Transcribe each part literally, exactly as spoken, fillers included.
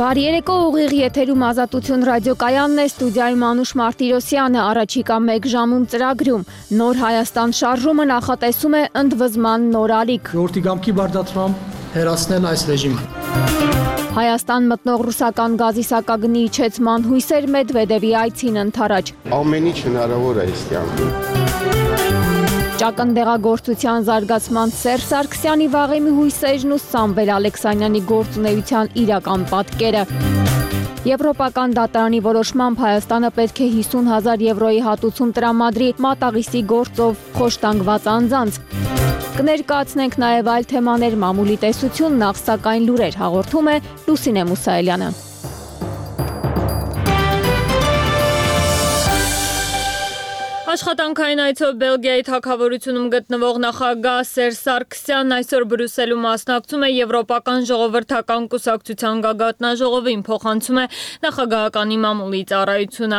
Բարի երեկո, ուղիղ եթերում Ազատություն ռադիոկայանն է, ստուդիայում Անուշ Մարտիրոսյանը, առաջիկա մեկ ժամում ծրագրում Նոր Հայաստան շարժումը նախատեսում է ընդվզման նոր ալիք։ Ժողովրդի կամքի բարդացմամբ հեռացնել այս ռեժիմը։ Հայաստան մտնող ռուսական գազի սակագնի իջեցման հույսեր Մեդվեդևի այցին ընթരാճ։ Ամեն ինչ հնարավոր է այս կյանքում։ Ճակնդեղագործության զարգացման Սերժ Սարգսյանի վաղեմի հույսերն ու Սամվել Ալեքսանյանի գործունեության իրական պատկերը։ Եվրոպական դատարանի որոշմամբ Հայաստանը պետք է հիսուն հազար եվրոյի հատուցում տրամադրի մատաղիսի գործով խոշտանգված անձանց։ Կներկայացնենք նաև այլ թեմաներ, մամուլի տեսություն, նախ սակայն լուրեր, հաղորդում է Լուսինե Մուսայելյանը։ Աշխատանքային այցով Բելգիայի թագավորությունում գտնվող նախագահ Սերժ Սարգսյանն այսօր Բրյուսելում մասնակցում է Եվրոպական ժողովրդական կուսակցության գագաթնաժողովին, փոխանցում է նախագահականի մամուլի ծառայությունը։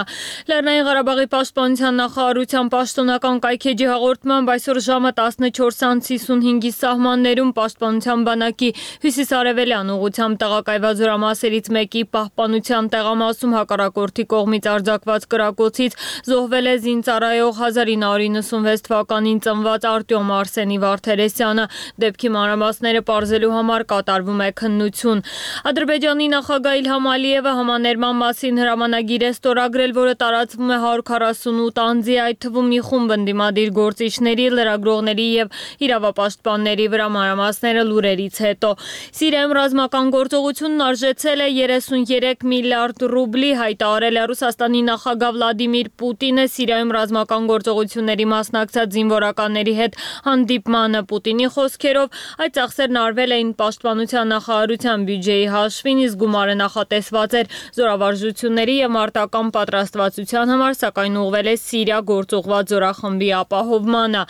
Լեռնային Ղարաբաղի պաշտպանության նախարարության պաշտոնական կայքեջի հաղորդմամբ այսօր ժամը տասնչորս անց հիսունհինգի սահմաններում պաշտպանության բանակի հյուսիսարևելյան ուղղությամբ տեղակայված զորամասերից մեկի պահպանության տեղամասում հակառակորդի կողմից արձակված կրակոցից զոհվել է զինծառայող հազար ինը հարյուր նվսանվեց թվականին ծնված Արտյոմ Արսենի Վարդերեսյանը, դեպքի մանրամասները պարզելու համար կատարվում է քննություն։ Ադրբեջանի նախագահ Իլհամ Ալիևը համաներման մասին հրամանագիր է ստորագրել, որը տարածվում է հարյուր քառասունութ անձի, այդ թվում մի խումբ ընդդիմադիր գործիչների, լրագրողների եւ իրավապաշտպանների վրա, մանրամասները լուրերից հետո։ Սիրիայում ռազմական գործողությունն արժեցել է երեսունյերեք միլիարդ ռուբլի, հայտարարել է Ռուսաստանի նախագահ Վլադիմիր Պուտինը Սիրիայում ռազմական գործողությունների մասնակցած զինվորականների հետ հանդիպմանը Պուտինի խոսքերով այդ ծախսերն արվել էին պաշտպանության նախարարության բյուջեի հաշվին, իսկ գումարը նախատեսված էր զորավարժությունների եւ մարտական պատրաստվածության համար, սակայն ուղղվել է Սիրիա գործուղված զորախմբի ապահովմանը։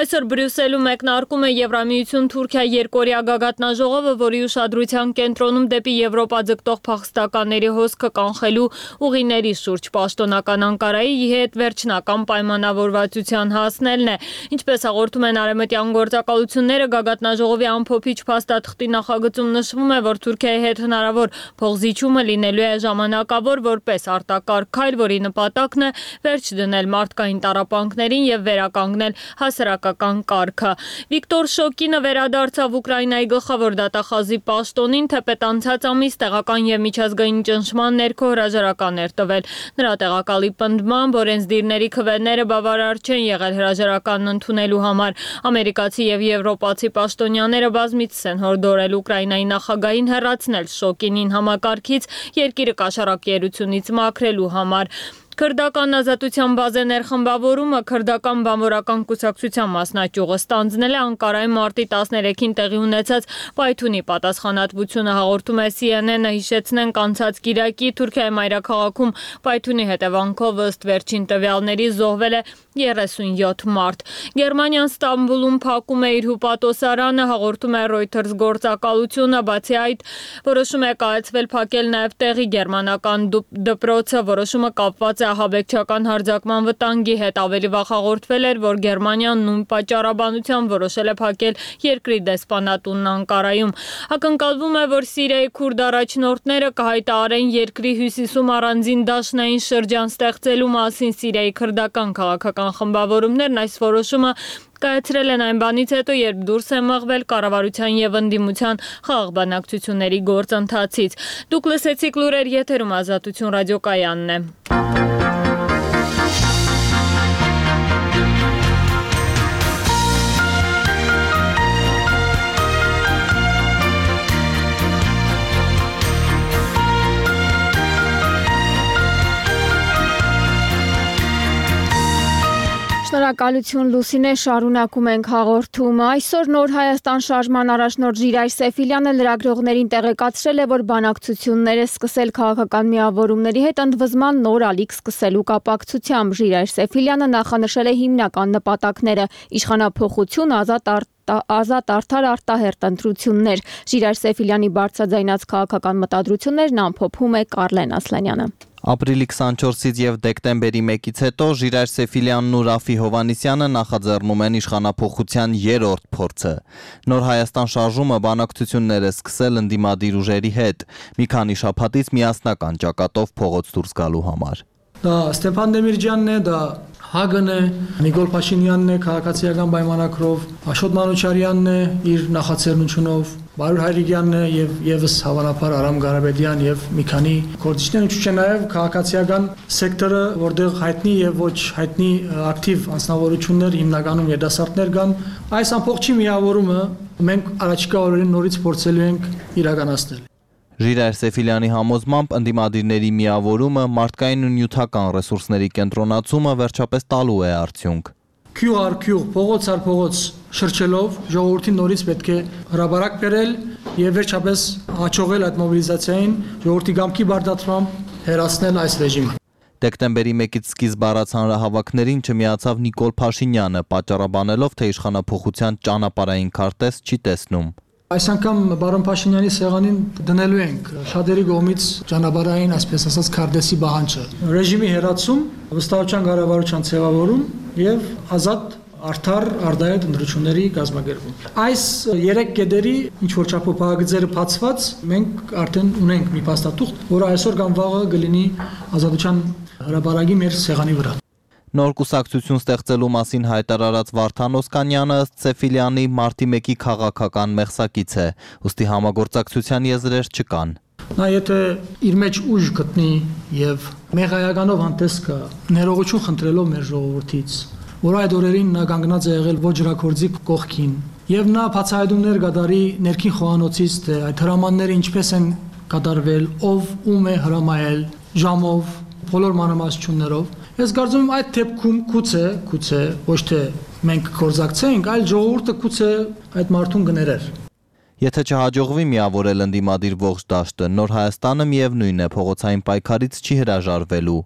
Այսօր Բրյուսելում մեկնարկում է Եվրամիություն-Թուրքիա երկօրյա գագաթնաժողովը, որի ուշադրության կենտրոնում դեպի Եվրոպա ձգտող փախստականների հոսքը կանխելու ուղիների շուրջ պաշտոնական Անկարայի հետ վերջնական պայմանավորվածության հասնելն է։ Ինչպես հաղորդում են արևմտյան գործակալությունները, գագաթնաժողովի ամփոփիչ փաստաթղթի նախագծում նշվում է, որ Թուրքիայի հետ հնարավոր փոխզիջումը լինելու է ժամանակավոր որպես արտակարգ քայլ, որի նպատակն է վերջ դնել մարդկային տառապանքներին եւ վերականգնել հասարակական կարգը։ Վիկտոր Շոկինը վերադարձավ Ուկրաինայի գլխավոր դատախազի պաշտոնին, թեպետ անցած ամիս տեղական եւ միջազգային ճնշման ներքո հրաժարական էր տվել։ Նրա տեղակալի պնդմամբ օրենսդիրների քվեները բավարար չեն եղել հրաժարականն ընդունելու համար։ Ամերիկացի եւ եվրոպացի պաշտոնյաները բազմիցս են հորդորել Ուկրաինայի նախագահին հեռացնել Շոկինին համակարգից երկիրը կաշառակերությունից մաքրելու համար։ Քրդական ազատության բազե ներխմբավորումը քրդական բանվորական կուսակցության մասնաճյուղը ստանձնել է Անկարայի մարտի տասներեքին տեղի ունեցած պայթունի պատասխանատվությունը, հաղորդում է Սի Են Են-ը, հիշեցնենք անցած կիրակի Թուրքիայի մայրաքաղաքում պայթունի հետևանքով ըստ վերջին տվյալների զոհվել է երեսունյոթ մարդ։ Գերմանիան Ստամբուլում փակում է իր հյուպատոսարանը, հաղորդում է Reuters գործակալությունը, բացի այդ որոշում է կայացվել փակել նաև տեղի գերմանական դպրոցը, որոշումը կապված է ահաբեկչական հարձակման վտանգի հետ, ավելի վաղ հաղորդվել էր, որ Գերմանիան նույն պատճառաբանությամբ որոշել է փակել երկրի դեսպանատունն Անկարայում։ Ակնկալվում է, որ Սիրիայի քուրդ առաջնորդները կհայտարարեն երկրի հյուսիսում առանձին դաշնային շրջան ստեղծելու մասին։ Սիրիայի քրդական քաղաքական խմբավորումներն այս որոշումը կայացրել են այն բանից հետո, երբ դուրս է մղվել կառավարության եւ ընդդիմության խաղաղ բանակցությունների գործընթացից։ Դուք լսեցիք լուրեր, եթերում Ազատություն ռադիոկայանն է։ Շնորհակալություն Լուսինե, շարունակում ենք հաղորդումը։ Այսօր Նոր Հայաստան շարժման առաջնորդ Ժիրայր Սեֆիլյանը լրագրողներին տեղեկացրել է, որ բանակցություններ է սկսել քաղաքական միավորումների հետ ընդվզման նոր ալիք սկսելու կապակցությամբ։ Ժիրայր Սեֆիլյանը նախանշել է հիմնական նպատակները՝ իշխանափոխություն, ազատ արտ ազատ արդար արտահերտ ընտրություններ։ Ժիրայր Սեֆիլյանի բարձրաձայնած քաղաքական մտադրություններն ամփոփում է Կարլեն Ասլանյանը։ Ապրիլի քսանչորսից եւ դեկտեմբերի մեկից հետո Ժիրայր Սեֆիլյանն ու Ռաֆի Հովանիսյանը նախաձեռնում են իշխանափոխության երրորդ փորձը։ Նոր Հայաստան շարժումը բանակցություններ է սկսել ընդդիմադիր ուժերի հետ, մի քանի շաբաթից միասնական ճակատով փողոց դուրս գալու համար։ Դա Ստեփան Դեմիրճյանն է, դա Հագն է, Նիկոլ Փաշինյանն է քաղաքացիական պայմանագրով, Աշոտ Մանուչարյանն է իր նախաձեռնությունով, Բարուր Հայրիկյանն է եւ եւս հավանաբար Արամ Ղարաբեդյան եւ մի քանի գործիչներ, ինչու՞ չէ նաեւ քաղաքացիական սեկտորը, որտեղ հայտնի եւ ոչ հայտնի ակտիվ անձնավորություններ, հիմնականում երիտասարդներ կան, այս ամբողջի միավորումը մենք առաջիկա օրերին նորից փորձելու ենք իրականացնել։ Ժիրայր Սեֆիլյանի համոզմամբ ընդդիմադիրների միավորումը, մարդկային ու նյութական ռեսուրսների կենտրոնացումը վերջապես տալու է արդյունք։ Քյուղ առ քյուղ, փողոց առ փողոց շրջելով ժողովրդին նորից պետք է հրաբարակ բերել եւ վերջապես հաջողել այդ մոբիլիզացիային, ժողովրդի կամքի բարդացմամբ հերացնել այս ռեժիմը։ Դեկտեմբերի մեկից սկիզբ առած հանրահավաքներին չմիացավ Նիկոլ Փաշինյանը, պատճառաբանելով, թե իշխանափոխության ճանապարհային քարտեզ չի տեսնում։ Այս անգամ բարոն Փաշինյանի սեղանին դնելու ենք շատերի կողմից ճանապարհային, այսպես ասած, քարտեզի պահանջը։ Ռեժիմի հերացում, վստահության կառավարության ձևավորում եւ ազատ արդար արդայոց ընտրությունների կազմակերպում։ Այս երեք կետերի ինչ որ չափողագծերը բացված մենք արդեն ունենք մի փաստաթուղթ, որը այսօր կամ վաղը կլինի ազատության հրապարակի մեր սեղանի վրա։ Նոր կուսակցություն ստեղծելու մասին հայտարարած Վարդան Օսկանյանը ըստ Սեֆիլյանի մարտի մեկի քաղաքական մեղսակից է, ուստի համագործակցության եզրեր չկան։ Նա եթե իր մեջ ուժ գտնի եւ մեղայականով հանդես գա, ներողություն խնդրելով մեր ժողովրդից, որ այդ օրերին նա կանգնած է եղել ոչ ջրակորձի կողքին, եւ նա բացահայտումներ կատարի ներքին խոհանոցից, թե այդ հրամանները ինչպես են կատարվել, ով ում է հրամայել, ժամով, բոլոր մանրամասնություններով։ Ես կարծում եմ այդ դեպքում գուցե, գուցե ոչ թե մենք կորզակցենք, այլ ժողովուրդը գուցե այդ մարդուն կներեր։ Եթե չհաջողվի միավորել ընդդիմադիր ողջ դաշտը, Նոր Հայաստանը միևնույն է փողոցային պայքարից չի հրաժարվելու։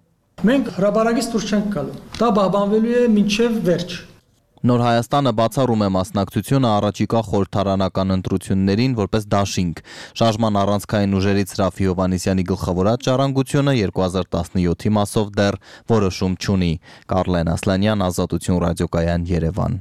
Մենք հրապարակից դուրս չենք գալու։ Դա բաբանվելու է մինչև վերջ։ Նոր Հայաստանը բացառում է մասնակցությունը առաջիկա խորհրդարանական ընտրություններին որպես դաշինք։ Շարժման առանցքային ուժերից Ռաֆի Հովանիսյանի գլխավորած ժառանգությունը երկու հազար տասնյոթի մասով դեռ որոշում չունի։ Կարլեն Ասլանյան, Ազատություն ռադիոկայան, Երևան։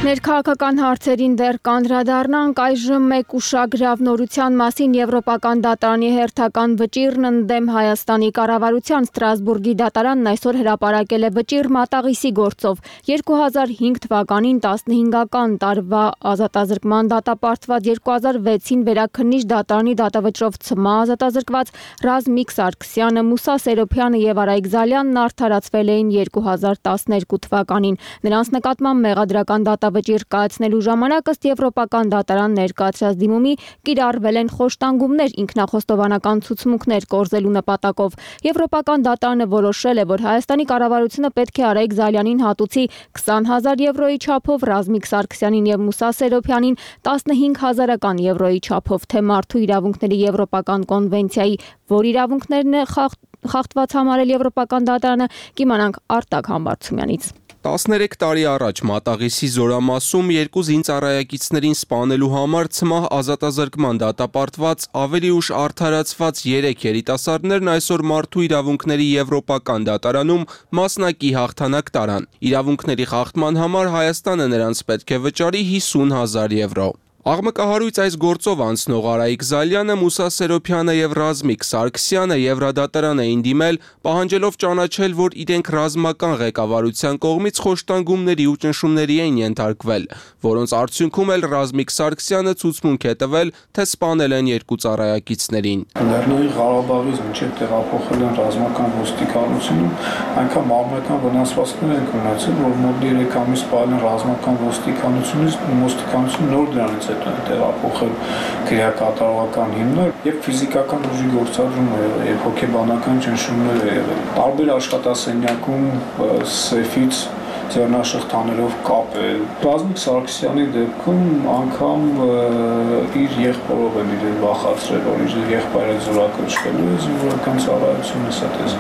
Ներքաղաքական հարցերին դեռ կանդրադառնանք, այժմ մեկ ուշագրավ նորության մասին Եվրոպական դատարանի հերթական վճիռն ընդդեմ Հայաստանի կառավարության Ստրասբուրգի դատարանն այսօր հրապարակել է վճիռ մատաղիսի գործով։ երկու հազար հինգ թվականին տասնհինգական տարվա ազատազրկման դատապարտված, երկու հազար վեցին վերաքննիչ դատարանի դատավճռով ցմահ ազատազրկված Ռազմիկ Սարգսյանը, Մուսա Սերոփյանը եւ Արայիկ Զալյանն արդարացվել էին երկու հազար տասներկու թվականին։ Նրանց նկատմամբ մեղադրական դատավճիռ կայացնելու ժամանակ ըստ Եվրոպական դատարան ներկայացրած դիմումի կիրառվել են խոշտանգումներ, ինքնախոստովանական ցուցմունքներ կորզելու նպատակով։ Եվրոպական դատարանը որոշել է, որ Հայաստանի կառավարությունը պետք է Արայիկ Զալյանին հատուցի քսան հազար եվրոյի չափով, Ռազմիկ Սարգսյանին եւ Մուսա Սերոփյանին տասնհինգ հազարական եվրոյի չափով, թե մարդու իրավունքների Եվրոպական կոնվենցիայի որ իրավունքներն է խախտված համարել Եվրոպական դատարանը, կիմանանք Արտակ Համբարձումյանից։ տասներեք տարի առաջ Մատաղիսի զորամասում երկու զինծառայակիցներին սպանելու համար ցմահ ազատազրկման դատապարտված, ավելի ուշ արդարացված երեք երիտասարդներն այսօր մարդու իրավունքների Եվրոպական դատարանում մասնակի հաղթանակ տարան։ Իրավունքների խախտման համար Հայաստանը նրանց պետք է վճարի հիսուն հազար եվրո։ Աղմկահարույց այս գործով անցնող Արայիկ Զալյանը, Մուսա Սերոփյանը եւ Ռազմիկ Սարգսյանը Եվրադատարան էին դիմել, պահանջելով ճանաչել, որ իրենք ռազմական ղեկավարության կողմից խոշտանգումների ու ճնշումների են ենթարկվել, որոնց արդյունքում էլ Ռազմիկ Սարգսյանը ցուցմունք է տվել, թե սպանել են երկու ծառայակիցներին։ Լեռնային Ղարաբաղից մինչև տեղափոխել են ռազմական ոստիկանությունում, այնքան մարմնական վնասվածքներ են ունեցել, որ մոտ երեք ամիս սպանել ռազմական ոստիկանությունից, ոստիկանությունը նոր դրանից տեղափոխել քրեակատարողական հիմնար եւ ֆիզիկական ուժի գործադրում է եղել եւ հոգեբանական ճնշումներ է եղել։ Տարբեր աշխատասենյակում սեֆից ձեռնաշղթաներով կապել։ Ռազմիկ Սարգսյանի դեպքում անգամ իր եղբորով են իրեն վախացրել, որ իր եղբայրը զորակոչվելու է զինվորական ծառայությունից, այդպես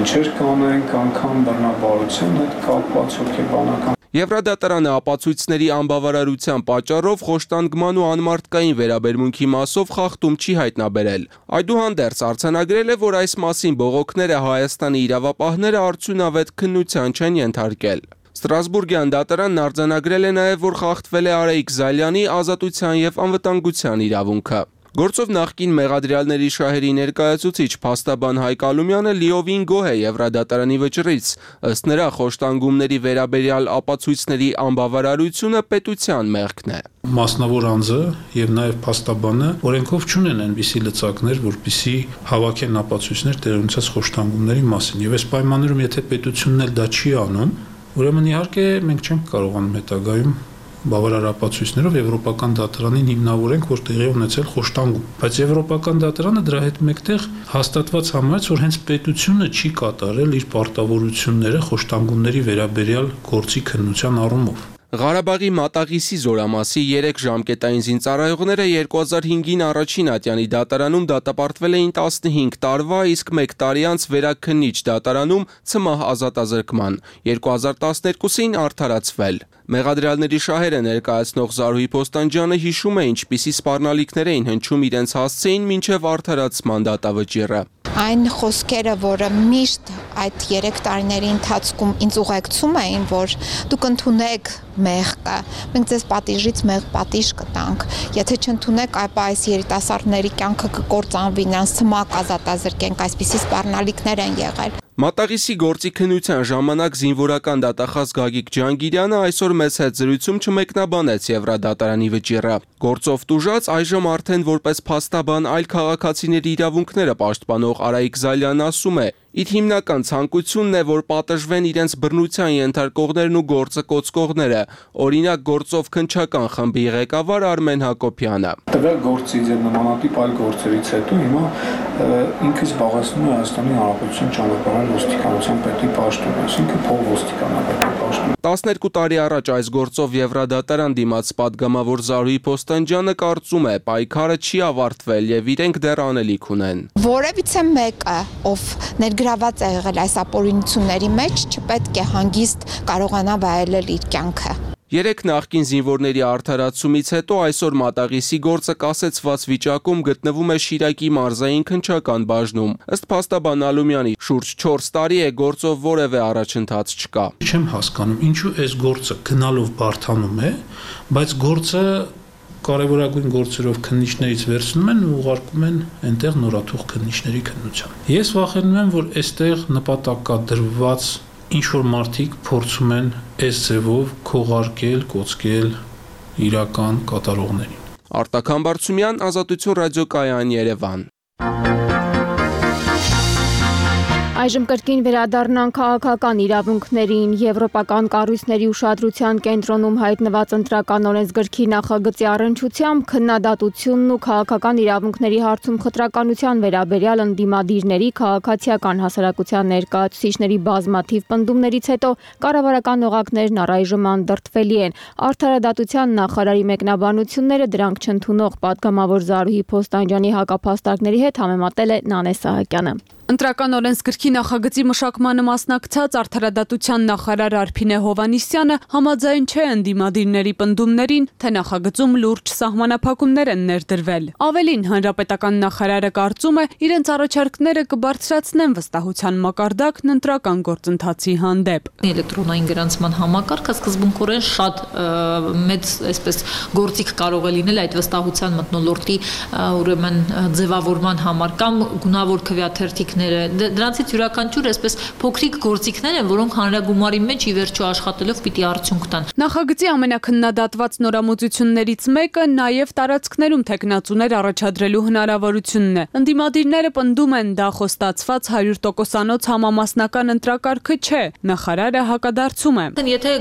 ինչեր կանենք, անգամ բռնաբարության հետ կապված հոգեբանական։ Եվրադատարանը ապացույցների անբավարարության պատճառով խոշտանգման ու անմարդկային վերաբերմունքի մասով խախտում չի հայտնաբերել։ Այդուհանդերձ արձանագրել է, որ այս մասին բողոքները Հայաստանի իրավապահները արդյունավետ քննության չեն ենթարկել։ Ստրասբուրգյան դատարանն արձանագրել է նաև, որ խախտվել է Արայիկ Զալյանի ազատության և անվտանգության իրավունքը։ Գործով նախկին մեղադրյալների շահերի ներկայացուցիչ փաստաբան Հայկ Ալումյանը լիովին գոհ է Եվրադատարանի վճռից, ըստ նրա խոշտանգումների վերաբերյալ ապացույցների անբավարարությունը պետության մեղքն է։ Մասնավոր անձը եւ նաեւ փաստաբանը օրենքով չունեն այնպիսի լծակներ, որպիսի հավաքեն ապացույցներ տեղի ունեցած խոշտանգումների մասին։ Եվ այս պայմաններում, եթե պետությունն էլ դա չի անում, ուրեմն իհարկե մենք չենք կարողանում հետագայում բավարար ապացույցներով Եվրոպական դատարանին հիմնավորենք, որ տեղի ունեցել խոշտանգում։ Բայց Եվրոպական դատարանը դրա հետ մեկտեղ հաստատված համարեց, որ հենց պետությունը չի կատարել իր պարտավորությունները խոշտանգումների վերաբերյալ գործի քննության առումով։ Ղարաբաղի Մատաղիսի զորամասի երեք ժամկետային զինծառայողները երկու հազար հինգին առաջին ատյանի դատարանում դատապարտվել էին տասնհինգ տարվա, իսկ մեկ տարի անց վերաքննիչ դատարանում ցմահ ազատազրկման, երկու հազար տասներկուսին արդարացվել։ Մեղադրյալների շահերը ներկայացնող Զարուհի Փոստանջյանը հիշում է, ինչպիսի սպառնալիքներ էին հնչում իրենց հասցեին մինչև արդարացման դատավճիռը։ Այն խոսքերը, որը միշտ այդ երեք տարիների ընթացքում ինձ ուղեկցում էին, որ դուք ընդունեք մեղքը, մենք ձեզ պատիժից մեղ պատիժ կտանք, եթե չընդունեք, այլ այս երիտասարդների կյանքը կկործանվի, նրանց ցմահ ազատազրկենք, այսպիսի սպառնալիքներ են եղել։ Մատաղիսի գործի քննության ժամանակ զինվորական դատախազ Գագիկ Ջանգիրյանը այսօր մեծ հետ զրույցում չմեկնաբանեց Եվրադատարանի վճիռը։ Գործով տուժած այժմ արդեն որպես փաստաբան այլ քաղաքացիների իրավունքները պաշտպանող Արայիկ Զալյանն ասում է. իր հիմնական ցանկությունն է, որ պատժվեն իրենց բռնության ենթարկողներն ու գործը կոծկողները, օրինակ գործով քննչական խմբի ղեկավար Արմեն Հակոբյանը։ Տվյալ գործից եւ նմանատիպ այլ գործերից հետո հիմա ինքը զբաղեցնում է Հայաստանի Հանրապետության ճանապարհային ոստիկանության պետի պաշտոնը, այսինքն փող ոստիկանապետի պաշտոնը։ տասներկու տարի առաջ այս գործով Եվրադատարան դիմաց պատգամավոր Զարուհի Փոստանջյանը կարծում է, պայքարը չի ավարտվել եւ իրենք դեռ անելիք ունեն։ Որևիցե մեկը, ով ներգրաված է եղել այս ապօրինությունների մեջ, չպետք է հանգիստ կարողանա վայելել իր կյանքը։ Երեք նախկին զինվորների արդարացումից հետո այսօր Մատաղիսի գործը կասեցված վիճակում գտնվում է Շիրակի մարզային քննչական բաժնում։ Ըստ փաստաբան Ալումյանի, շուրջ չորս տարի է գործով որևէ առաջընթաց չկա։ Չեմ հասկանում, ինչու այս գործը գնալով բարթանում է, բայց գործը կարևորագույն գործերով քննիչներից վերցնում են ու ուղարկում են այնտեղ նորաթուխ քննիչների քննության։ Ես վախենում եմ, որ այստեղ նպատակադրված ինչ-որ մարդիկ փորձում են այս ձևով քողարկել, կոծկել իրական կատարողներին։ Արտակ Համբարձումյան, Ազատություն ռադիոկայան, Երևան։ Այժմ կրկին վերադառնանք քաղաքական իրավունքներին։ Եվրոպական կառույցների ուշադրության կենտրոնում հայտնված ընտրական օրենսգրքի նախագծի առնչությամբ քննադատությունն ու քաղաքական իրավունքների հարցում խտրականության վերաբերյալ ընդդիմադիրների քաղաքացիական հասարակության ներկայացուցիչների բազմաթիվ պնդումներից հետո կառավարական օղակներն առայժմ անդրդվելի են։ Արդարադատության նախարարի մեկնաբանությունները դրանք չընդունող պատգամավոր Զարուհի Փոստանջյանի հակափաստարկների հետ համեմատել է Նանե Սահակյանը։ Ընտրական օրենսգրքի նախագծի մշակմանը մասնակցած արդարադատության նախարար Արփինե Հովհաննիսյանը համաձայն չէ ընդդիմադիրների պնդումներին, թե նախագծում լուրջ սահմանափակումներ են ներդրվել։ Ավելին, հանրապետական նախարարը կարծում է, իրենց առաջարկները կբարձրացնեն վստահության մակարդակն ընտրական գործընթացի հանդեպ։ Էլեկտրոնային գրանցման համակարգը սկզբունքորեն շատ մեծ այսպես գործիք կարող է լինել այդ վստահության մթնոլորտի ուրեմն ձևավորման համար կամ գունավոր քվեաթերթիկ Դրանցից յուրաքանչյուր այսպես փոքրիկ գործիքներ են, որոնք հանրագումարի մեջ ի վերջո աշխատելով պիտի արդյունք տան։ Նախագծի ամենաքննադատված նորամուծություններից մեկը նաև տարածքներում թեկնածուներ առաջադրելու հնարավորությունն է։ Ընդդիմադիրները պնդում են, դա խոստացված հարյուր տոկոսանոց համամասնական ընտրակարգը չէ։ Նախարարը հակադարձում է։ Եթե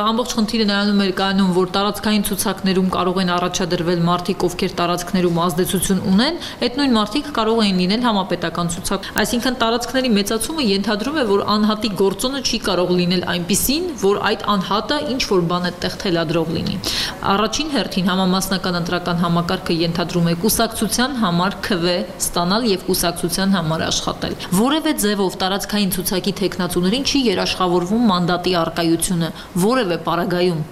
ամբողջ խնդիրը նրանում էր կայանում, որ տարածքային ցուցակներում կարող են առաջադրվել մարդիկ, ովքեր տարածքներում ազդեցություն ունեն, այդ նույն մարդիկ կարող են լինել համապետական ցուցակ։ Այսինքն տարածքների մեծացումը ենթադրում է, որ անհատի գործոնը չի կարող լինել այնպիսին, որ այդ անհատը ինչ որ բան է տեղ թելադրող լինի։ Առաջին հերթին համամասնական ընտրական համակարգը ենթադրում է կուսակցության համար քվե ստանալ եւ կուսակցության համար աշխատել։ Որևէ ձևով տարածքային ցուցակի տեխնացուներին չի երաշխավորվում մանդատի առկայությունը որևէ պարագայում։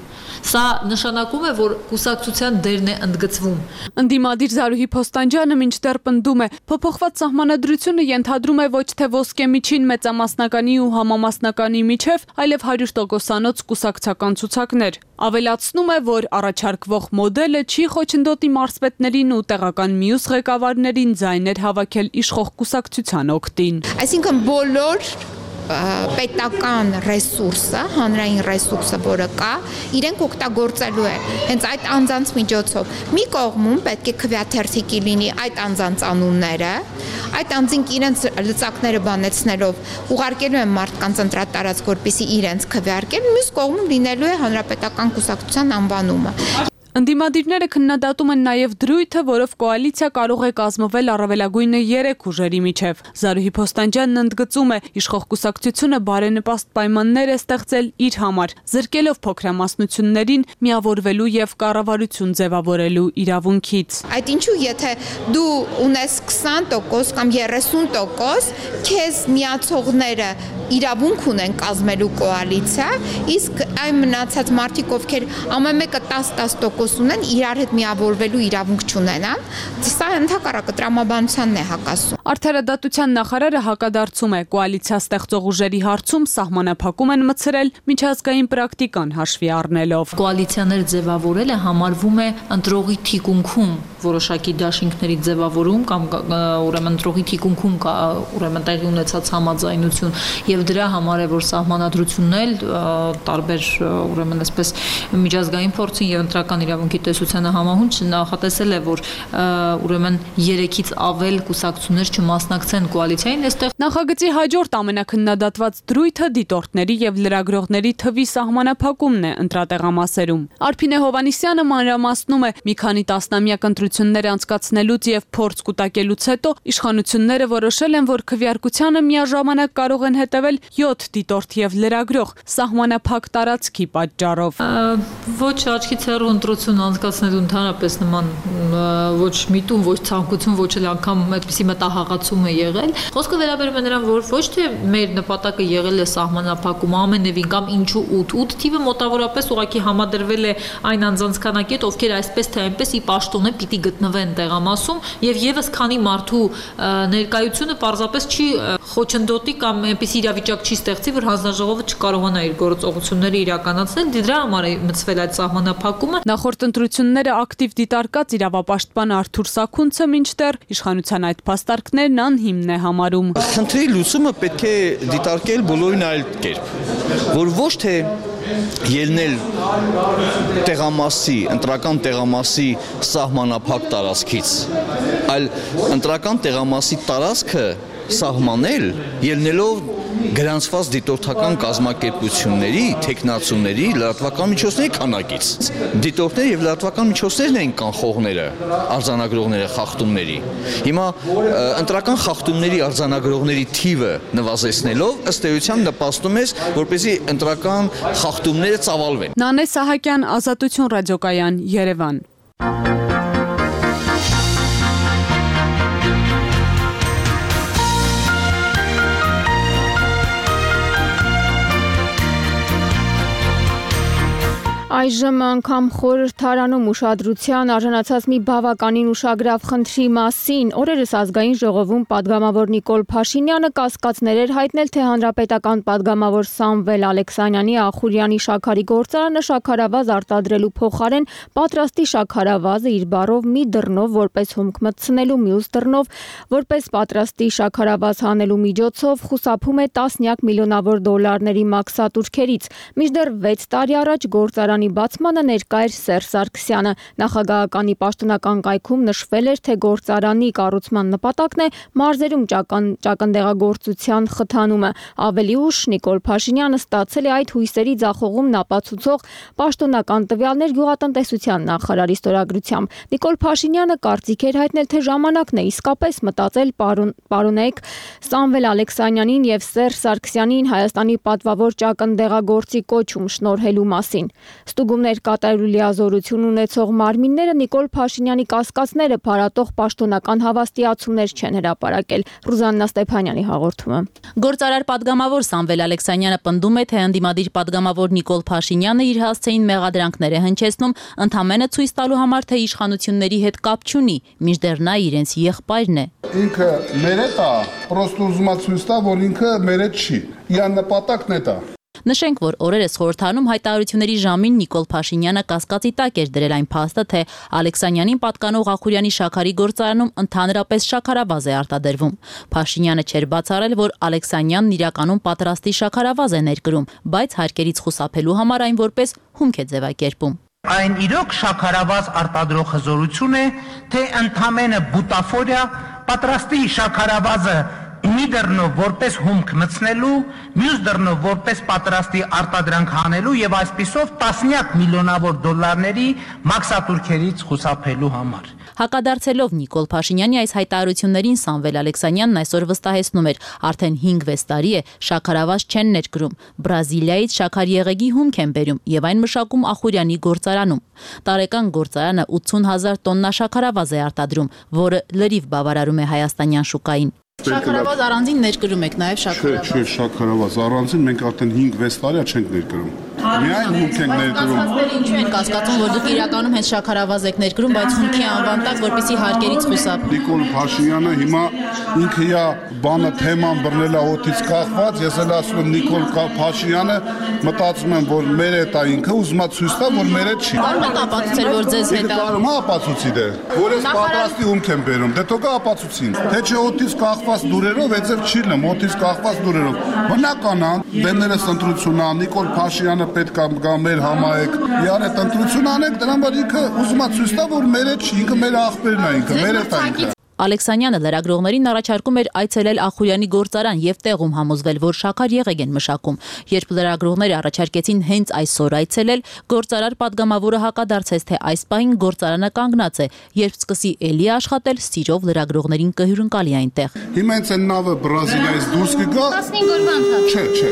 Սա նշանակում է, որ կուսակցության դերն է ընդգծվում։ Ընդդիմադիր Զարուհի Փոստանջյանը մինչդեռ պնդում է, փոփոխված սահմանադրությունը ենթադրում է ոչ թե ոսկե միջին մեծամասնականի ու համամասնականի միջև, այլև հարյուր տոկոսանոց կուսակցական ցուցակներ։ Ավելացնում է, որ առաջարկվող մոդելը չի խոչընդոտի մարզպետներին ու տեղական մյուս ղեկավարներին ձայներ հավաքել իշխող կուսակցության օգտին։ Այսինքն բոլոր պետական ռեսուրսը, հանրային ռեսուրսը, որը կա, իրենք օգտագործելու է հենց այդ անձանց միջոցով։ Մի կողմում պետք է քվեաթերթիկի լինի այդ անձանց անունները, այդ անձինք իրենց լծակները բանեցնելով ուղարկելու են մարդկանց ընտրատարածք, որպեսզի իրենց քվեարկեն, մյուս կողմում լինելու է հանրապետական կուսակցության անվանումը։ Ընդդիմադիրները քննադատում են նաև դրույթը, որով կոալիցիա կարող է կազմվել առավելագույնը երեք ուժերի միջև։ Զարուհի Փոստանջյանն ընդգծում է, իշխող կուսակցությունը բարենպաստ պայմաններ է ստեղծել իր համար, զրկելով փոքրամասնություններին միավորվելու եւ կառավարություն ձևավորելու իրավունքից։ Այդ ինչու, եթե դու ունես քսան տոկոս կամ երեսուն տոկոս, քեզ միացողները իրավունք ունեն կազմելու կոալիցիա, իսկ այն մնացած մարդիկ, ովքեր ամեն մեկը տասը տոկոս ունեն, իրար հետ միավորվելու իրավունք չունենան, սա ընդհակառակը տրամաբանությանն է հակասում։ Արդարադատության նախարարը հակադարձում է, կոալիցիա ստեղծող ուժերի հարցում սահմանափակում են մտցրել միջազգային պրակտիկան հաշվի առնելով։ Կոալիցիաներ ձևավորելը համարվում է ընտրողի թիկունքում որոշակի դաշինքների ձևավորում կամ ուրեմն ընտրողի թիկունքում կա ուրեմն տեղի ունեցած համաձայնություն եւ դրա համար է որ սահմանադրությունն էլ տարբեր ուրեմն այսպես միջազգային փորձին եւ ընտրական իրավունքի տեսությանը համահունչ նախատեսել է որ ուրեմն երեքից ավել կուսակցություններ չմասնակցեն կոալիցիային այստեղ Նախագծի հաջորդ ամենակննադատված դրույթը դիտորդների եւ լրագրողների թվի սահմանափակումն է ընտրատեղամասերում։ Արփինե Հովանիսյանը մանրամասնում է մի քանի տասնամյակ ընտրություններ անցկացնելուց եւ փորձ կուտակելուց հետո իշխանությունները որոշել են որ քվեարկությանը միաժամանակ կարող են հետևել յոթ դիտորդ եւ լրագրող սահմանափակ տարածքի պատճառով։ Ոչ աչքից հեռու ընտրություն անցկացնելու ընդհանրապես նման ոչ միտում, ոչ ցանկություն, ոչ էլ անգամ այդպիսի մտահղացում է եղել։ Խոսքը վերաբերում է նրան, որ ոչ թե մեր նպատակը եղել է սահմանափակում ամենևին կամ ինչու ութ, ութ թիվը մոտավորապես ուղղակի համադրվել է այն անձանց քանակի հետ, ովքեր այսպես թե այնպես ի պաշտոնե պիտի գտնվեն տեղամասում եւ եւս քանի մարդու ներկայությունը պարզապես չի խոչընդոտի կամ այնպիսի իրավիճակ չի ստեղծի, որ հանձնաժողովը չկարողանա իր գործողությունները իրականացնել, դրա համար է մտցվել այդ սահմանափակումը։ Նախորդ ընտրությունները ակտիվ դիտարկած իրավապաշտպան Արթուր Սաքունցը մինչդեռ իշխանության այդ փաստարկներն անհիմն է համարում։ Խնդրի լուծումը պետք է դիտարկել բոլորին այլ կերպ, որ ոչ թե ելնել տեղամասի, ընտրական տեղամասի սահմանափակ տարածքից, այլ ընտրական տեղամասի տարածքը սահմանել ելնելով գրանցված դիտորդական կազմակերպությունների, տեխնացուների, լրատվական միջոցների քանակից։ Դիտորդները եւ լրատվական միջոցներն են կանխողները, արձանագրողները խախտումների։ Հիմա ընտրական խախտումների արձանագրողների թիվը նվազեցնելով ըստ էության նպաստում է, որպեսզի ընտրական խախտումները ծավալվեն։ Նանե Սահակյան, Ազատություն ռադիոկայան, Երևան։ Այժմ անգամ խորհրդարանում ուշադրության արժանացած մի բավականին ուշագրավ խնդրի մասին օրերս ազգային ժողովում падգամավոր Նիկոլ Փաշինյանը կասկածներ էր հայտնել, թե հանրապետական падգամավոր Սամվել Ալեքսանյանի Ախուրյանի շաքարի գործարանը շաքարավազ արտադրելու փոխարեն պատրաստի շաքարավազը իր բառով մի դռնով որպես հումք մտցնելու, մյուս դռնով որպես պատրաստի շաքարավազ հանելու միջոցով խուսափում է տասնյակ միլիոնավոր դոլարների մաքսատուրքերից։ Մինչդեռ վեց տարի առաջ գործարանը գործարանի բացմանը ներկա էր Սերժ Սարգսյանը։ Նախագահականի պաշտոնական կայքում նշվել էր, թե գործարանի կառուցման նպատակն է մարզերում ճակնդեղագործության խթանումը։ Ավելի ուշ Նիկոլ Փաշինյանը ստացել է այդ հույսերի ձախողումն ապացուցող պաշտոնական տվյալներ գյուղատնտեսության նախարարի ստորագրությամբ։ Նիկոլ Փաշինյանը կարծիք էր հայտնել, թե ժամանակն է իսկապես մտածել պարոնայք Սամվել Ալեքսանյանին եւ Սերժ Սարգսյանին Հայաստանի պատվավոր ճակնդեղագործի կոչում շնորհելու մասին։ Ստուգումներ կատարելու լիազորություն ունեցող մարմինները Նիկոլ Փաշինյանի կասկածները փարատող պաշտոնական հավաստիացումներ չեն հրապարակել։ Ռուզաննա Ստեփանյանի հաղորդումը։ Գործարար պատգամավոր Սամվել Ալեքսանյանը պնդում է, թե ընդդիմադիր պատգամավոր Նիկոլ Փաշինյանը իր հասցեին մեղադրանքներ է հնչեցնում, ընդամենը ցույց տալու համար, թե իշխանությունների հետ կապ չունի, մինչդեռ նա իրենց եղբայրն է։ Ինքը մերետ է, պրոստը ուզում է ցույց տա, որ ինքը մերետ չի։ Իր նպատակն է դա։ Նշենք, որ օրերս խորհրդանում հայտարարությունների ժամին Նիկոլ Փաշինյանը կասկածի տակ էր դրել այն փաստը, թե Ալեքսանյանին պատկանող Ախուրյանի շաքարի գործարանում ընդհանրապես շաքարավազ է արտադրվում։ Փաշինյանը չէր բացառել, որ Ալեքսանյանն իրականում պատրաստի շաքարավազ է ներկրում, բայց հարկերից խուսափելու համար այն որպես հումք է ձևակերպում։ Այն իրոք շաքարավազ արտադրող հզորություն է, թե ընդամենը բուտաֆորիա պատրաստի շաքարավազը մի դռնով որպես հումք մտցնելու, մյուս դռնով որպես պատրաստի արտադրանք հանելու եւ այսպիսով տասնյակ միլիոնավոր դոլարների մաքսատուրքերից խուսափելու համար։ Հակադարձելով Նիկոլ Փաշինյանի այս հայտարարություններին Սամվել Ալեքսանյանն այսօր վստահեցնում էր, արդեն հինգ-վեց տարի է շաքարավազ չեն ներկրում, Բրազիլիայից շաքարեղեգի հումք են բերում եւ այն մշակում Ախուրյանի գործարանում։ Տարեկան գործարանը ութսուն հազար տոննա շաքարավազ է արտադրում, որը լրիվ բավարարում է հայաստանյան շուկային։ Շաքարավազ առանձին ներկրում եք նաև շաքարավազ։ Չէ, չէ, շաքարավազ առանձին մենք արդեն հինգ-վեց տարի չենք ներկրում։ Միայն հումք ենք ներկրում։ Ինչու են կասկածում, որ դուք իրականում հենց շաքարավազ եք ներկրում, բայց հումքի անվան տակ, որպեսզի հարկերից խուսափ։ Նիկոլ Փաշինյանը հիմա ինքը իա բանը թեման բռնել է օդից կախված, ես էլ ասում եմ Նիկոլ Փաշինյանը մտածում եմ, որ մեր է դա ինքը ուզում է ցույց տա, որ մեր է չի։ Կարող եք ապացուցել, որ ձեզ հետ է։ Կարում է ապացուցի դե, որ ես պատրաստի հումք եմ բերում, դե թողա ապացուցին։ Թե չէ օդից կախված դուրերով, այդպես չի լեմ, օդից կախված դուրերով։ Բնական է, բեմերս ընտրություն է, Նիկոլ Փաշինյանը պետք է գա մեր համայնք։ Իար այդ ընտրություն անենք, դրան բար ինքը ուզում է ցույց տա, որ մեր է չի, ինքը մեր աղբերն է, ինքը մեր է տա ինքը։ Ալեքսանյանը լրագրողներին առաջարկում էր այցելել Ախուրյանի գործարան եւ տեղում համոզվել, որ շաքար եղեգ են մշակում։ Երբ լրագրողները առաջարկեցին հենց այսօր այցելել, գործարար պատգամավորը հակադարձեց, թե այս պահին գործարանը կանգնած է, երբ սկսի էլի աշխատել, սիրով լրագրողներին կհյուրընկալի այնտեղ։ Հիմա հենց այն նավը Բրազիլիայից դուրս կգա։ տասնհինգ օրվա ընթացքում։ Չէ, չէ։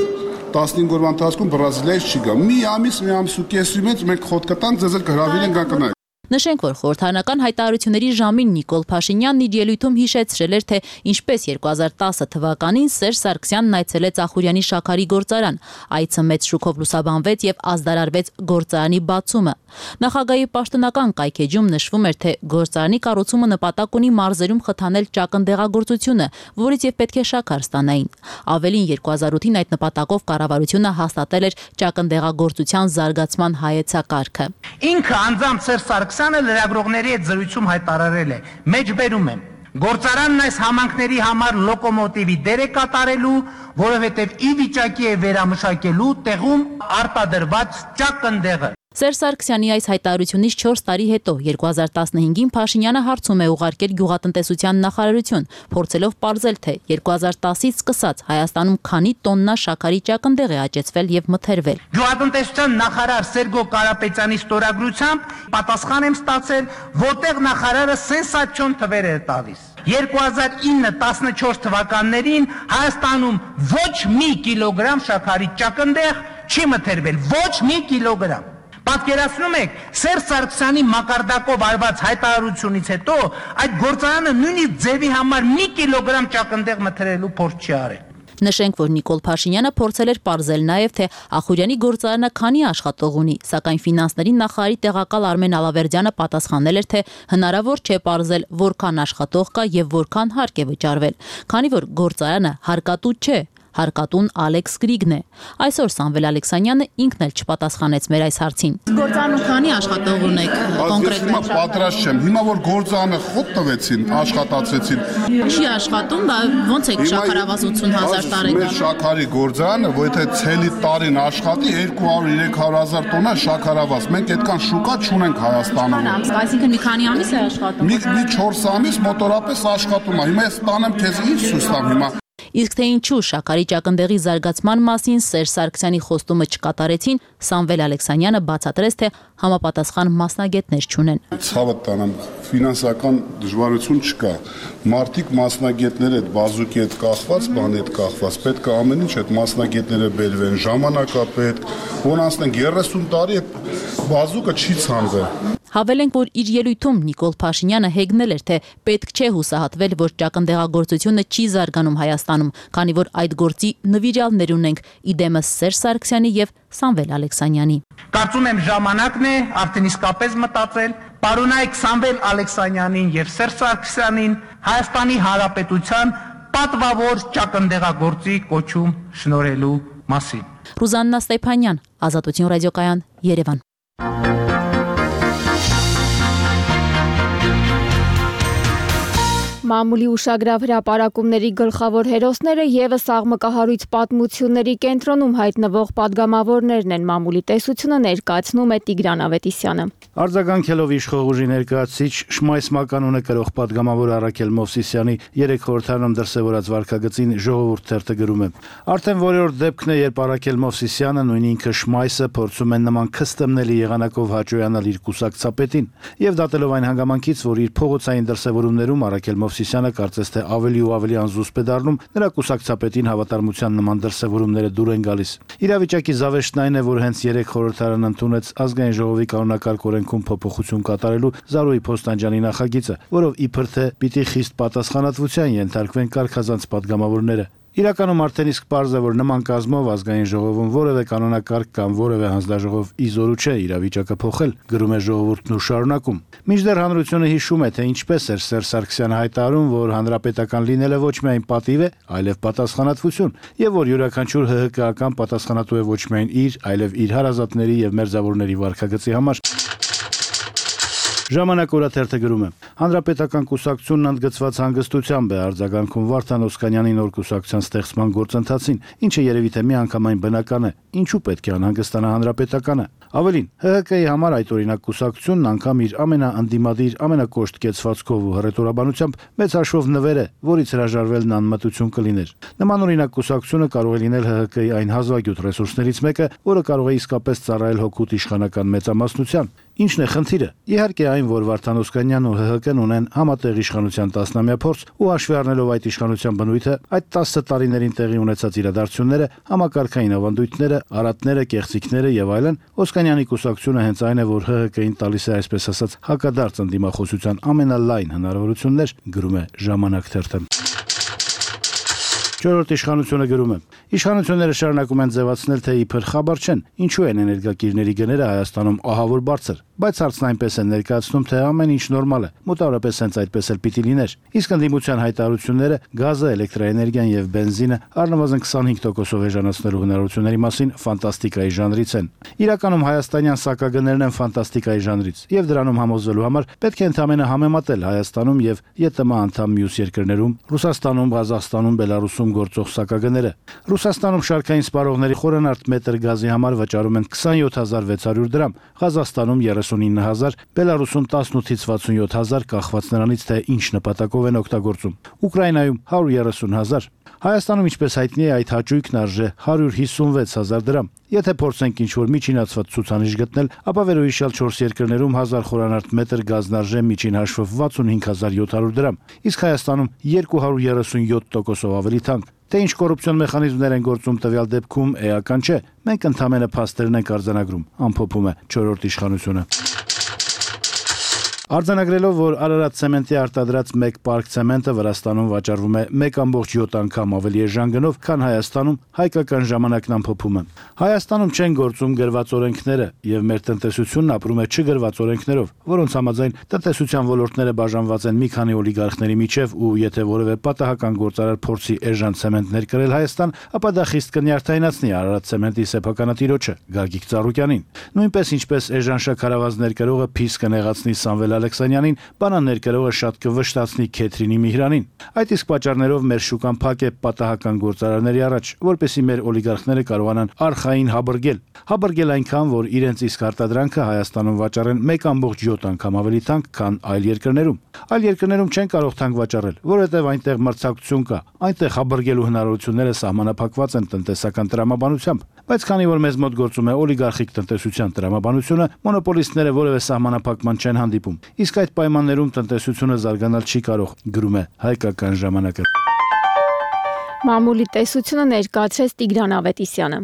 տասնհինգ օրվա ընթացքում Բրազիլիայից չի գա։ Մի ամիս, մի ամիս ու կեսի մեջ մենք խոտ կտանք, ձեզ էլ կհրավիրեն գա կնայեք։ Նշենք, որ խորհրդարանական հայտարարությունների ժամին Նիկոլ Փաշինյանն իր ելույթում հիշեցրել էր, թե ինչպես երկու հազար տասը թվականին Սերժ Սարգսյանն այցելեց Ախուրյանի շաքարի գործարան։ Այցը մեծ շուկով լուսաբանվեց եւ ազդարարվեց գործարանի բացումը։ Նախագահի պաշտոնական կայքեջում նշվում էր, թե գործարանի կառուցումը նպատակ ունի մարզերում խթանել ճակնդեղագործությունը, որից եւ պետք է շաքար ստանային։ Ավելին երկու հազար ութին այդ նպատակով կառավարությունը հաստատել էր ճակնդեղագործության զարգացման հայեցակարգը։ Ինքը անձամբ Սերժ Սարգսյանը լրագրողների հետ զրույցում հայտարարել է. «Մեջբերում եմ, գործարանն այս համանքների համար լոկոմոտիվի դեր է կատարելու, որովհետև ի վիճակի է վերամշակելու տեղում արտադրված ճակնդեղը»։ Սերժ Սարգսյանի այս հայտարարությունից չորս տարի հետո երկու հազար տասնհինգին Փաշինյանը հարցում է ուղարկել գյուղատնտեսության նախարարություն, փորձելով պարզել, թե երկու հազար տասից սկսած Հայաստանում քանի տոննա շաքարի ճակնդեղ է աճեցվել եւ մթերվել։ Գյուղատնտեսության նախարար Սերգո Կարապետյանի ստորագրությամբ պատասխան եմ ստացել, որտեղ նախարարը սենսացիոն թվեր է տալիս։ երկու հազար ինը տասնչորս թվականներին Հայաստանում ոչ մի կիլոգրամ շաքարի ճակնդեղ չի մթերվել, ոչ մի կիլոգրամ։ Պատկերացնում եք, Սերժ Սարգսյանի մակարդակով արված հայտարարությունից հետո այդ գործարանը նույնիսկ ձևի համար մի կիլոգրամ ճակնդեղ մթերելու փորձ չի արել։ Նշենք, որ Նիկոլ Փաշինյանը փորձել էր պարզել նաև, թե Ախուրյանի գործարանը քանի աշխատող ունի, սակայն ֆինանսների նախարարի տեղակալ Արմեն Ալավերդյանը պատասխանել էր, թե հնարավոր չէ պարզել որքան աշխատող կա եւ որքան հարկ է վճարվել, քանի որ գործարանը հարկատու չէ։ հարկատուն Ալեքս Գրիգն է։ Այսօր Սամվել Ալեքսանյանը ինքն էլ չպատասխանեց մեր այս հարցին։ Գործանում քանի աշխատող ունեք կոնկրետ։ Հիմա պատրաստ չեմ։ Հիմա որ գործանը խոտ տվեցին, աշխատացրեցին։ Չի աշխատում, ոնց է շաքարավազ ութուն հազար տարեկան։ Մեր շաքարի գործանը, որ եթե ցելի տարին աշխատի երկու հարյուր երեք հարյուր հազար տոննա շաքարավազ, մենք այդքան շուկա չունենք Հայաստանում։ Այսինքն մի քանի ամիս է աշխատում։ Մի մի չորս ամիս մոտորապես աշխատում է։ Հիմա ես տանեմ քեզ ինչ ցույց տամ հիմա։ Իսկ թե ինչու շաքարի ճակնդեղի զարգացման մասին Սերժ Սարգսյանի խոստումը չկատարեցին, Սամվել Ալեքսանյանը բացատրեց, թե համապատասխան մասնագետներ չունեն։ Ցավը տանեմ, ֆինանսական դժվարություն չկա։ Մարտիկ մասնագետներ այդ բազուկի հետ կախված, բանի հետ կախված, պետք է ամեն ինչ այդ մասնագետները բերվեն, ժամանակա պետք, որ անցնենք երեսուն տարի այդ բազուկը չի ցանվել։ Հավելենք, որ իր ելույթում Նիկոլ Փաշինյանը հեգնել էր, թե պետք չէ հուսահատվել, որ ճակնդեղագործությունը չի զարգանում Հայաստանում, քանի որ այդ գործի նվիրյալներ ունենք՝ իդեմս Սերժ Սարգսյանի եւ Սամվել Ալեքսանյանի։ Կարծում եմ ժամանակն է արդեն իսկապես մտածել, պարոնայք Սամվել Ալեքսանյանին եւ Սերժ Սարգսյանին Հայաստանի Հանրապետության պատվավոր ճակնդեղագործի կոչում շնորհելու մասին։ Ռուզաննա Ստեփանյան, Ազատություն ռադիոկայան, Երևան։ Մամուլի ուշագրավ հրապարակումների գլխավոր հերոսները եւս աղմկահարույց պատմությունների կենտրոնում հայտնվող падգամավորներն են։ Մամուլի տեսությունը ներկայացնում է Տիգրան Ավետիսյանը։ Արձագանքելով իշխող ուժի ներկայացուցիչ Շմայս Մականունը կրող падգամավոր Արաքել Մովսիսյանի երեք խորհրդարանում դրսևորած վարքագծին Ժողովուրդ թերթը գրում է. Արդեն որերորդ դեպքն է, երբ Արաքել Մովսիսյանը, նույն ինքը Շմայսը փորձում են նման քստմնելի եղանակով հաճոյանալ իր կուսակցապետին, եւ դատելով այն հանգամանքից, որ իր փողոցային դրսևորումներում Արաքել Մովսիսյանը կարծես թե ավելի ու ավելի անզուսպ է դառնում, նրա կուսակցապետին հավատարմության նման դրսևորումները դուր են գալիս։ Իրավիճակի զավեշտն այն է, որ հենց երեք խորհրդարանը ընդունեց ազգային ժողովի կանոնակարգ օրենքում փոփոխություն կատարելու Զարուհի Փոստանջյանի նախագիծը, որով իբր թե պիտի խիստ պատասխանատվության ենթարկվեն կարգազանց падգամավորները։ Իրականում արդեն իսկ պարզ է, որ նման կազմով ազգային ժողովում որևէ կանոնակարգ կամ որևէ հանձնաժողով իզորու չէ իրավիճակը փոխել, գրում է Ժողովուրդն ու շարունակում։ Մինչդեռ հանրությունը հիշում է, թե ինչպես էր Սերժ Սարգսյանը հայտարարում, որ հանրապետական լինելը ոչ միայն պատիվ է, այլև պատասխանատվություն, եւ որ յուրաքանչյուր ՀՀԿ-ական պատասխանատու է ոչ միայն իր, այլև իր հարազատների եւ մերձավորների վարքագծի համար։ Ժամանակ օրաթերթը գրում է. Հանրապետական կուսակցությունն ընդգծված հանգստությամբ է արձագանքում Վարդան Օսկանյանի նոր կուսակցության ստեղծման գործընթացին, ինչը երևի թե միանգամայն բնական է։ Ինչու պետք է անհանգստանա հանրապետականը։ Ավելին, ՀՀԿ-ի համար այդ օրինակ կուսակցությունն անգամ իր ամենաընդդիմադիր, ամենակոշտ կեցվածքով ու հռետորաբանությամբ մեծ հաշվով նվեր է, որից հրաժարվելն անմտություն կլիներ։ Նման օրինակ կուսակցությունը կարող է լինել ՀՀԿ-ի այն հազվագյուտ ռեսուրսներից մեկը, որը կարող է իսկապես ծառայել հօգուտ իշխանական մեծամասնության։ Ինչն է խնդիրը։ Իհարկե այն, որ Վարդան Օսկանյանն ու ՀՀԿ-ն ունեն համատեղ իշխանության տասնամյա փորձ ու հաշվի առնելով այդ իշխանության բնույթը, այդ տասը տարիներին տեղի ունեցած իրադարձությունները, համակարգային ավանդույթները, արատները, կեղծիքները եւ այլն, Օսկանյանի կուսակցությունը հենց այն է, որ ՀՀԿ-ին տալիս է այսպես ասած հակադարձ ընդդիմախոսության ամենալայն հնարավորություններ, գրում է Ժամանակ թերթը։ Չորրորդ իշխանությունը գրում է. Իշխանությունները շարունակում են ձևացնել, թե իբր խաբար չեն, ինչու են էներգակիրների գները Հայաստանում ահավոր բարձր, բայց հարցն այնպես են ներկայացնում, թե ամեն ինչ նորմալ է, մոտավորապես հենց այդպես էլ պիտի լիներ։ Իսկ ընդդիմության հայտարարությունները գազը, էլեկտրաէներգիան եւ բենզինը առնվազն քսանհինգ տոկոսով էժանացնելու հնարավորությունների մասին ֆանտաստիկայի ժանրից են։ Իրականում հայաստանյան սակագներն են ֆանտաստիկայի ժանրից, եւ դրանում համոզվելու համար պետք է ընդհանրապես համեմատել Հայաստանում եւ ԵՏՄ անդամ մյուս երկրներում, Ռուսաստանում, Ղազախստանում, Բելարուսում գործող սակագները։ Ռուսաստանում շարքային սպառողների խորանարդ մետր գազի համար վճարում են քսանյոթ հազար վեց հարյուր դրամ, Ղազախստանում երեսունինը հազար, Բելարուսում տասնութից վաթսունյոթ հազար, կախված նրանից, թե ինչ նպատակով են օգտագործում։ Ուկրաինայում հարյուր երեսուն հազար։ Հայաստանում, ինչպես հայտնի է, այդ հաճույքն արժե հարյուր հիսունվեց հազար դրամ։ Եթե փորձենք ինչ-որ միջինացված ցուցանիշ գտնել, ապա վերոհիշյալ չորս երկրներում հազար խորանարդ մետր գազն արժե միջին հաշվով վաթսունհինգ հազար յոթ հարյուր դրամ, իսկ Հայաստանում երկու հարյուր երեսունյոթ տոկոսով ավելի թանկ։ Թե ինչ կոռուպցիոն մեխանիզմներ են գործում տվյալ դեպքում, էական չէ։ Մենք ընդհանրապես փաստերն ենք արձանագրում, ամփոփում է չորրորդ իշխանությունը։ Արձանագրելով, որ Արարատ ցեմենտի արտադրած մեկ պարկ ցեմենտը Վրաստանում վաճառվում է մեկ կόμկոմ յոթ անգամ ավելի էժան գնով, քան Հայաստանում, հայկական ժամանակն ամփոփում է։ Հայաստանում չեն գործում գրված օրենքները, եւ մեր տնտեսությունն ապրում է չգրված օրենքներով, որոնց համաձայն տնտեսության ոլորտները բաժանված են մի քանի օլիգարխների միջև, ու եթե որևէ պատահական գործարար փորձի էժան ցեմենտներ կրել Հայաստան, ապա դա խիստ կնյարդայնացնի Արարատ ցեմենտի սեփականատիրոջը Գագիկ Ծառուկյանին։ Նույնպես ինչպես էժան շաքարավազներ կրողը փիս կնեղացնի Սամվել Ալեքսանյանին, բանաններ կրողը շատ կվշտացնի Քեթրինի Միհրանին։ Այդ իսկ պատճառներով մեր շուկան փակ է պատահական գործարարների առաջ, որպեսզի մեր օլիգարխները կարողանան արխային հաբրգել։ Հաբրգել այնքան, որ իրենց իսկ արտադրանքը Հայաստանում վաճառեն մեկ կόμկոմ յոթ անգամ ավելի թանկ, քան այլ երկրներում։ Այլ երկրներում չեն կարող թանկ վաճառել, որովհետև այնտեղ մրցակցություն կա, այնտեղ հաբրգելու հնարավորությունները սահմանափակված են տնտեսական տրամաբանությամբ։ Բայց քանի որ մեզ մոտ գործում է օլիգարխիկ տնտեսության տրամաբանությունը, մոնոպոլիստները որևէ սահմանափակման չեն հանդիպում։ Իսկ այդ պայմաններում տնտեսությունը զարգանալ չի կարող, գրում է Հայկական ժամանակը։ Մամուլի տեսությունը ներկայացրեց Տիգրան Ավետիսյանը։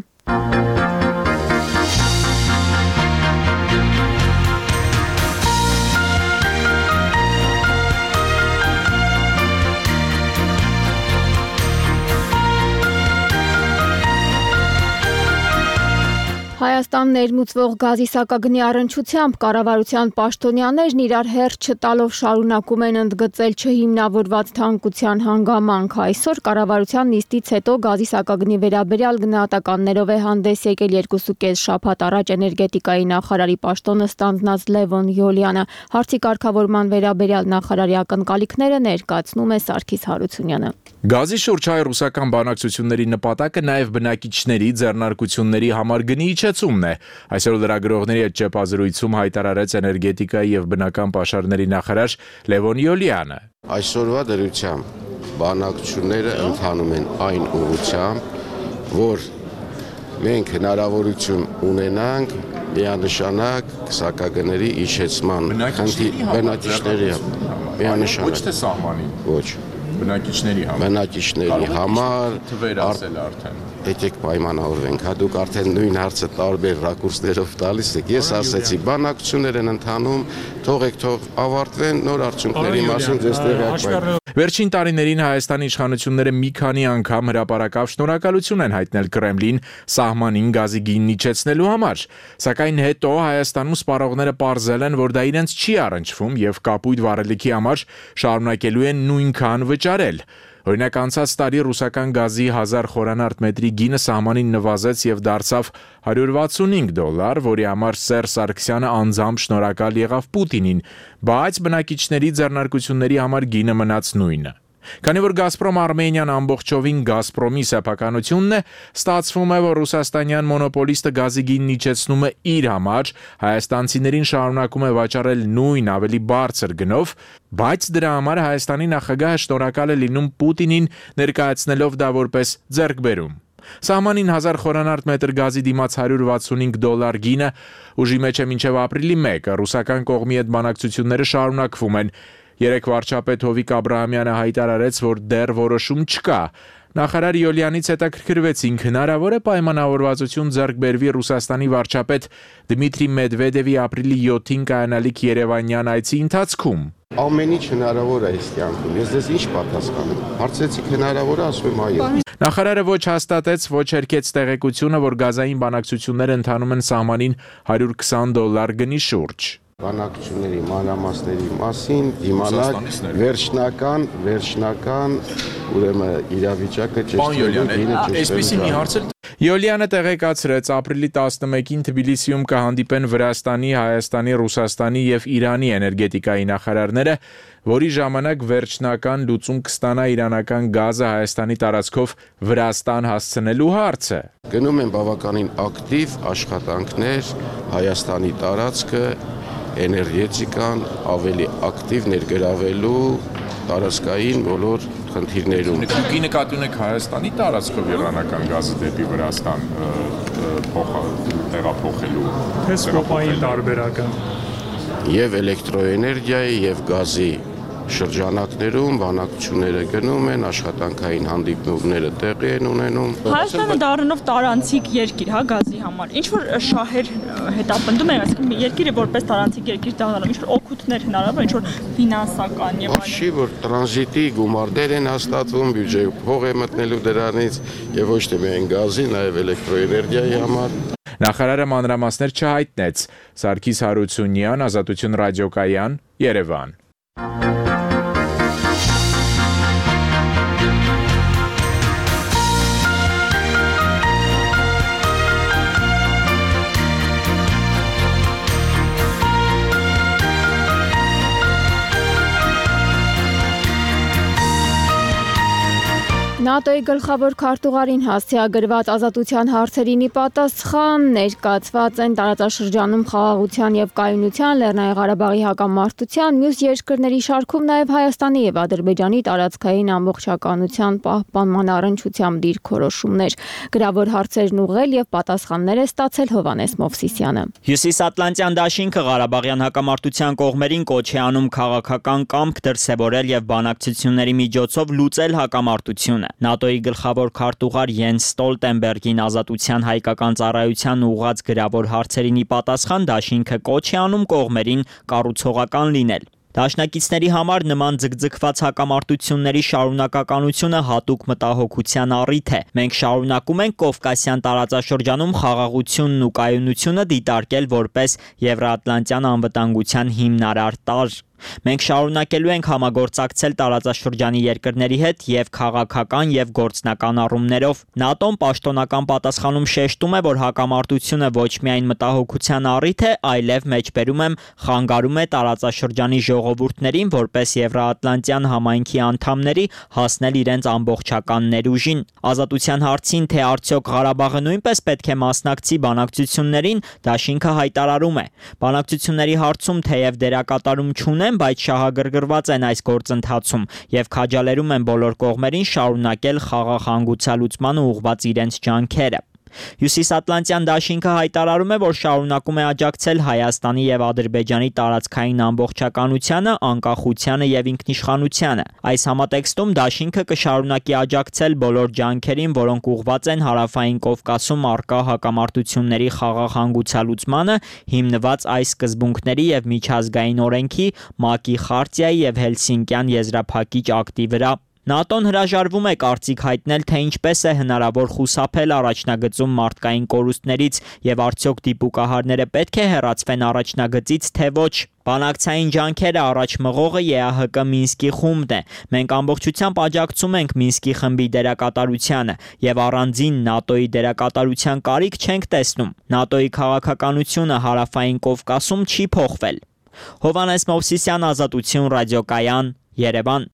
Հայաստան ներմուծվող գազի սակագնի առնչությամբ կառավարության պաշտոնյաներն իրար հերթ չտալով շարունակում են ընդգծել չհիմնավորված թանկության հանգամանք։ Այսօր կառավարության նիստից հետո գազի սակագնի վերաբերյալ գնահատականներով է հանդես եկել երկուսուկես շաբաթ առաջ էներգետիկայի նախարարի պաշտոնը ստանձնած Լևոն Յոլյանը։ Հարցի կարգավորման վերաբերյալ նախարարի ակնկալիքները ներկայացնում է Սարգիս Հարությունյանը։ Գազի շուրջ հայ ռուսական բանակցությունների նպատակը նաև բնակիչների ձեռնարկությունների համար գնի իջեցումն է։ Այսօր լրագրողների հետ ճեպազրույցում հայտարարեց էներգետիկայի եւ բնական պաշարների նախարար Լևոն Յոլյանը։ Այսօրվա դրությամբ բանակցությունները ընթանում են այն ուղղությամբ, որ մենք հնարավորություն ունենանք միանշանակ սակագների իջեցման բնակիչների միանշանակ։ Ոչ թե սահմանի։ Ոչ։ Բնակիչների համար։ Բնակիչների համար թվեր ասել արդեն։ Եկեք պայմանավորվենք, հա դուք արդեն նույն հարցը տարբեր ռակուրսներով տալիս եք։ Ես ասեցի, բանակցություններ են ընթանում, թողեք թող ավարտվեն, նոր արդյունքների մասին ձեզ տեղյակ։ Վերջին տարիներին Հայաստանի իշխանությունները մի քանի անգամ հրապարակավ շնորհակալություն են հայտնել Կրեմլին սահմանին գազի գինն իջեցնելու համար, սակայն հետո Հայաստանում սպառողները պարզել են, որ դա իրենց չի առնչվում եւ կապույտ վառելիքի համար շարունակելու են նույնքան վճարել։ Օրինակ անցած տարի ռուսական գազի հազար խորանարդ մետրի գինը սահմանին նվազեց եւ դարձավ հարյուր վաթսունհինգ դոլար, որի համար Սերժ Սարգսյանը անձամբ շնորհակալ եղավ Պուտինին, բայց բնակիչների ձեռնարկությունների համար գինը մնաց նույնը։ Քանի որ Գազպրոմ Արմենիան ամբողջովին Գազպրոմի սեփականությունն է, ստացվում է, որ ռուսաստանյան մոնոպոլիստը գազի գինն իջեցնում է իր համար, հայաստանցիներին շարունակում է վաճառել նույն ավելի բարձր գնով, բայց դրա համար Հայաստանի նախագահը շնորհակալ է լինում Պուտինին, ներկայացնելով դա որպես ձեռքբերում։ Սահմանին հազար խորանարդ մետր գազի դիմաց հարյուր վաթսունհինգ դոլար գինը ուժի մեջ է մինչև ապրիլի մեկը, ռուսական կողմի հետ բանակցությունները շարունակվում են։ Երեկ վարչապետ Հովիկ Աբրահամյանը հայտարարեց, որ դեռ որոշում չկա։ Նախարար Յոլյանից հետաքրքրվեցինք, հնարավոր է պայմանավորվածություն ձեռք բերվի Ռուսաստանի վարչապետ Դմիտրի Մեդվեդևի ապրիլի յոթին կայանալիք Երևանյան այցի ընթացքում։ Ամեն ինչ հնարավոր է այս կյանքում։ Ես ձեզ ինչ պատասխանեմ։ Հարցեցիք հնարավոր է, ասում եմ այո։ Նախարարը ոչ հաստատեց, ոչ հերքեց տեղեկությունը, որ գազային բանակցությունները ընթանում են սահմանին հարյուր քսան դոլար գնի շուրջ։ Բանակցությունների մանրամասների մասին դիմանալ վերջնական, վերջնական ուրեմն իրավիճակը ճշտելու։ Յոլյանը տեղեկացրեց, ապրիլի տասնմեկին Թբիլիսիում կհանդիպեն Վրաստանի, Հայաստանի, Ռուսաստանի եւ Իրանի էներգետիկայի նախարարները, որի ժամանակ վերջնական լուծում կստանա իրանական գազը Հայաստանի տարածքով Վրաստան հասցնելու հարցը։ Գնում են բավականին ակտիվ աշխատանքներ Հայաստանի տարածքը էներգետիկան ավելի ակտիվ ներգրավելու տարածքային բոլոր խնդիրներում։ Դուք նկատի ունեք Հայաստանի տարածքով իրանական գազը դեպի Վրաստան տեղափոխելու տեսկոպային տարբերակը եւ էլեկտրոէներգիայի եւ գազի շրջանակներում բանակցությունները գնում են, աշխատանքային հանդիպումները տեղի են ունենում։ Հայաստանը դառնով տարանցիկ երկիր, հա, գազի համար։ Ինչ որ շահեր հետապնդում են, այսինքն երկիրը որպես տարանցիկ երկիր դառնալու, ինչ որ օգուտներ հնարավոր, ինչ որ ֆինանսական եւ այլն։ Չի որ տրանզիտի գումարներ են հաստատվում, բյուջե փող է մտնելու դրանից եւ ոչ թե միայն գազի, նաեւ էլեկտրոէներգիայի համար։ Նախարարը մանրամասներ չհայտնեց։ Սարգիս Հարությունյան, Ազատություն ռադիոկայան, Երևան։ ՆԱՏՕ-ի գլխավոր քարտուղարին հասցեագրված ազատության հարցերին ի պատասխան ներկայացված են տարածաշրջանում խաղաղության եւ կայունության, Լեռնային Ղարաբաղի հակամարտության, մյուս երկրների շարքում նաեւ Հայաստանի եւ Ադրբեջանի տարածքային ամբողջականության պահպանման առընչությամբ դիրքորոշումներ։ Գրավոր հարցերն ուղղել եւ պատասխաններ է ստացել Հովհաննես Մովսիսյանը։ Հյուսիսատլանտյան դաշինքը Ղարաբաղյան հակամարտության կողմերին կոչ է անում քաղաքական կամք դրսևորել եւ բանակցությունների միջոցով լուծել հակամարտությունը։ ՆԱՏՕ-ի գլխավոր քարտուղար Յենս Ստոլտենբերգին ազատության հայկական ծառայության ուղղած գրավոր հարցերին ի պատասխան դաշինքը կոչ է անում կողմերին կառուցողական լինել։ Դաշնակիցների համար նման ձգձգված հակամարտությունների շարունակականությունը հատուկ մտահոգության առիթ է։ Մենք շարունակում ենք Կովկասյան տարածաշրջանում խաղաղությունն ու կայունությունը դիտարկել որպես Եվրոատլանտյան անվտանգության հիմնարար տարր։ Մենք շարունակելու ենք համագործակցել տարածաշրջանի երկրների հետ եւ քաղաքական եւ գործնական առումներով։ ՆԱՏՕ-ն պաշտոնական պատասխանում շեշտում է, որ հակամարտությունը ոչ միայն մտահոգության առիթ է, այլև մեջբերում եմ խանգարում է տարածաշրջանի ժողովուրդներին որպես Եվրոատլանտյան համայնքի անդամների հասնել իրենց ամբողջական ներուժին։ Ազատության հարցին, թե արդյոք Ղարաբաղը նույնպես պետք է մասնակցի բանակցություններին, դաշինքը հայտարարում է։ Բանակցությունների հարցում թեև դերակատարում չունեն, բայց շահագրգռված են այս գործընթացում եւ քաջալերում են բոլոր կողմերին շարունակել խաղաղ հանգուցալուծմանը ուղղված իրենց ջանքերը։ Հյուսիսատլանտյան դաշինքը հայտարարում է, որ շարունակում է աջակցել Հայաստանի եւ Ադրբեջանի տարածքային ամբողջականությանը, անկախությանը եւ ինքնիշխանությանը։ Այս համատեքստում դաշինքը կշարունակի աջակցել բոլոր ջանքերին, որոնք ուղղված են Հարավային Կովկասում առկա հակամարտությունների խաղաղ հանգուցալուծմանը, հիմնված այս սկզբունքների եւ միջազգային օրենքի, ՄԱԿ-ի խարտիայի եւ Հելսինկյան եզրափակիչ ակտի վրա։ ՆԱՏՕ-ն հրաժարվում է կարծիք հայտնել, թե ինչպես է հնարավոր խուսափել առաջնագծում մարդկային կորուստներից եւ արդյոք դիպուկահարները պետք է հեռացվեն առաջնագծից, թե ոչ։ Բանակցային ջանքերը առաջ մղողը ԵԱՀԿ Մինսկի խումբն է։ Մենք ամբողջությամբ աջակցում ենք Մինսկի խմբի դերակատարությանը եւ առանձին ՆԱՏՕ-ի դերակատարության կարիք չենք տեսնում։ ՆԱՏՕ-ի քաղաքականությունը Հարավային Կովկասում չի փոխվել։ Հովհաննես Մովսիսյան, Ազատություն ռադիոկայան, Երևան։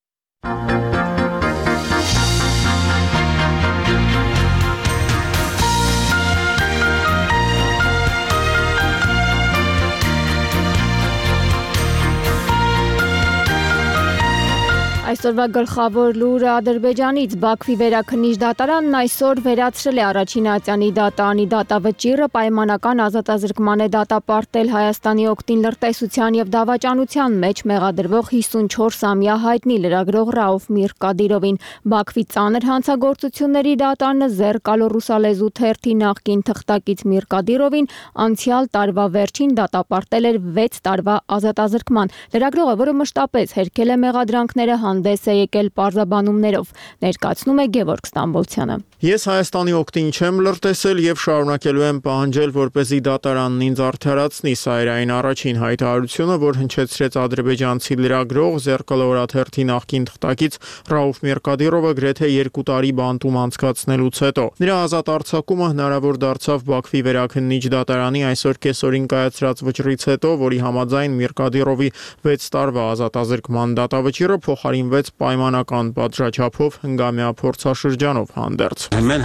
Այսօրվա գլխավոր լուրը Ադրբեջանից Բաքվի վերաքննիչ դատարանն այսօր վերացրել է առաջին ատյանի դատարանի դատավճիռը, պայմանական ազատազրկման է դատապարտել Հայաստանի օգտին լրտեսության եւ դավաճանության մեջ մեղադրվող հիսունչորսամյա հայտնի լրագրող Ռաուֆ Միրկադիրովին։ Բաքվի ծանր հանցագործությունների դատարանը Զերկալո ռուսալեզու թերթի նախկին թղթակից Միրկադիրովին անցյալ տարվա վերջին դատապարտել էր վեց տարվա ազատազրկման։ Լրագրողը, որը մշտապես հերքել է մեղադրանքները, հանդես է եկել պարզաբանումներով, ներկայացնում է Գևորգ Ստամբոլցյանը։ Ես Հայաստանի օգտին չեմ լրտեսել եւ շարունակելու եմ պահանջել, որպեսզի դատարանն ինձ արդարացնի։ Սա էր այն առաջին հայտարարությունը, որ հնչեցրեց ադրբեջանցի լրագրող Զերկալո օրաթերթի նախկին թղթակից Ռաուֆ Միրկադիրովը գրեթե երկու տարի բանտում անցկացնելուց հետո։ Նրա ազատ արձակումը հնարավոր դարձավ Բաքվի վերաքննիչ դատարանի այսօր կեսօրին կայացրած վճռից հետո, որի համաձայն Միրկադիրովի վեց տարվա ազատազրկման դատավճիռը փոխարինվել ընդլայնվեց պայմանական պատժաչափով հնգամյա փորձաշրջանով հանդերձ։ Mən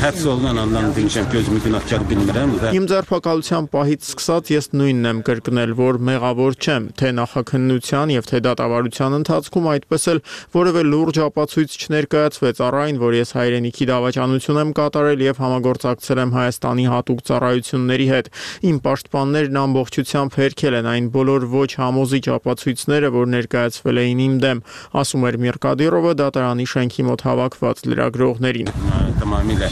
həbs olunan andan demişəm ki, özümü günahkar bilmirəm və Իմ ձերբակալության պահից սկսած ես նույնն եմ կրկնել, որ մեղավոր չեմ, թե նախաքննության եւ թե դատավարության ընթացքում այդպես էլ որևէ լուրջ ապացույց չներկայացվեց առ այն, որ ես հայրենիքի դավաճանություն եմ կատարել եւ համագործակցել եմ Հայաստանի հատուկ ծառայությունների հետ։ Իմ պաշտպաններն ամբողջությամբ հերքել են այն բոլոր ոչ համոզիչ ապացույցները, որ ներկայացվել էին իմ դեմ, ասում էր Միրկադիրովը դատարանի շենքի մոտ հավաքված լրագրողներին։ Tamamilə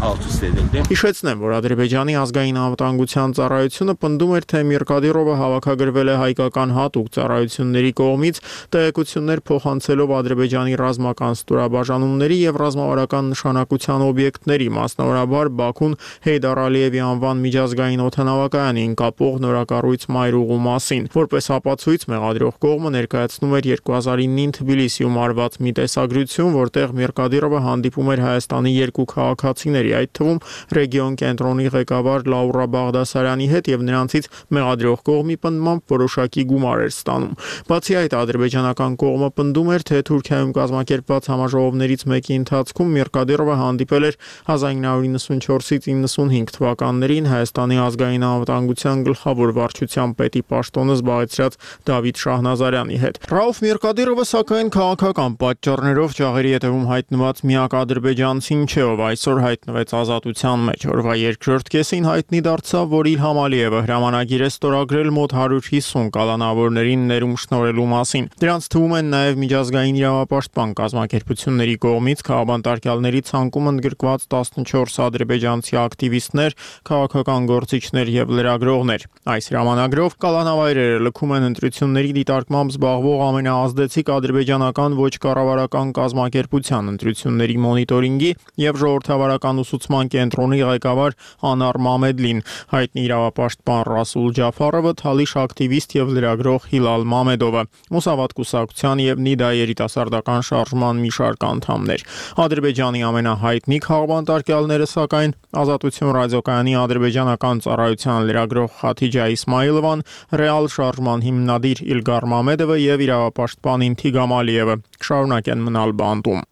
alt üst edildi. Հիշեցնեմ, որ Ադրբեջանի ազգային անվտանգության ծառայությունը պնդում էր, թե Միրկադիրովը հավաքագրվել է հայկական հատուկ ծառայությունների կողմից, տեղեկություններ փոխանցելով Ադրբեջանի ռազմական ստորաբաժանումների եւ ռազմավարական նշանակության օբյեկտների, մասնավորաբար Բաքուն Հեյդար Ալիևի անվան միջազգային օդանավակայանին կապող նորակառույց մայրուղու մասին։ Որպես ապացույց մեղադրող կողմը ներկայացնում էր երկու հազար իննին Թբիլիսիում արված մի տեսագրություն, որտեղ Միրկադիրովը հանդիպում էր Հայաստանի երկու քաղաքացիների, այդ թվում ռեգիոն կենտրոնի ղեկավար Լաուրա Բաղդասարյանի հետ եւ նրանցից մեղադրող կողմի պնդմամբ որոշակի գումար էր ստանում։ Բացի այդ, ադրբեջանական կողմը պնդում էր, թե Թուրքիայում կազմակերպված համաժողովներից մեկի ընթացքում Միրկադիրովը հանդիպել էր հազար ինը հարյուր իննսունչորսից իննսունհինգ թվականներին Հայաստանի ազգային անվտանգության գլխավոր վարչության պետի պաշտոնը զբաղեցրած Դավիթ Շահնազարյանի հետ։ Ռաուֆ Միրկադիրովը սակայն քաղաքական պատճառներով ճաղերի հետևում հայտնված միակ ադրբեջանցին չէ, ով այսօր հայտնվեց ազատության մեջ։ Օրվա երկրորդ կեսին հայտնի դարձավ, որ Իլհամ Ալիևը հրամանագիր է ստորագրել մոտ հարյուր հիսուն կալանավորներին ներում շնորհելու մասին։ Դրանց թվում են նաև միջազգային իրավապաշտպան կազմակերպությունների կողմից քաղաքապետարների ցանկում ընդգրկված տասնչորս ադրբեջանցի ակտիվիստներ, քաղաքական գործիչներ եւ լրագրողներ։ Այս հրամանագրով կալանավայրերը լքում են ընտրությունների դիտարկմամբ զբաղվող ամենաազդեցիկ ադրբեջանական ոչ կառավարական կազմակերպության ընտրությունների մոնիտորինգի եւ ժողովրդավարական ուսուցման կենտրոնի ղեկավար Անար Մամեդլին, հայտնի իրավապաշտպան Ռասուլ Ջաֆարովը, թալիշ ակտիվիստ եւ լրագրող Հիլալ Մամեդովը, Մուսավատ կուսակցության եւ Նիդա երիտասարդական շարժման մի շարք անդամներ։ Ադրբեջանի ամենահայտնի քաղաքապետարները սակայն Ազատություն ռադիոկայանի ադրբեջանական ծառայության լրագրող Խաթիջա Իսմայիլովան, Ռեալ շարժման հիմնադիր Իլգար Մամեդովը եւ իրավապաշտպան Ինթիգամ Ալիևը շարունակեն մնալ բանտում։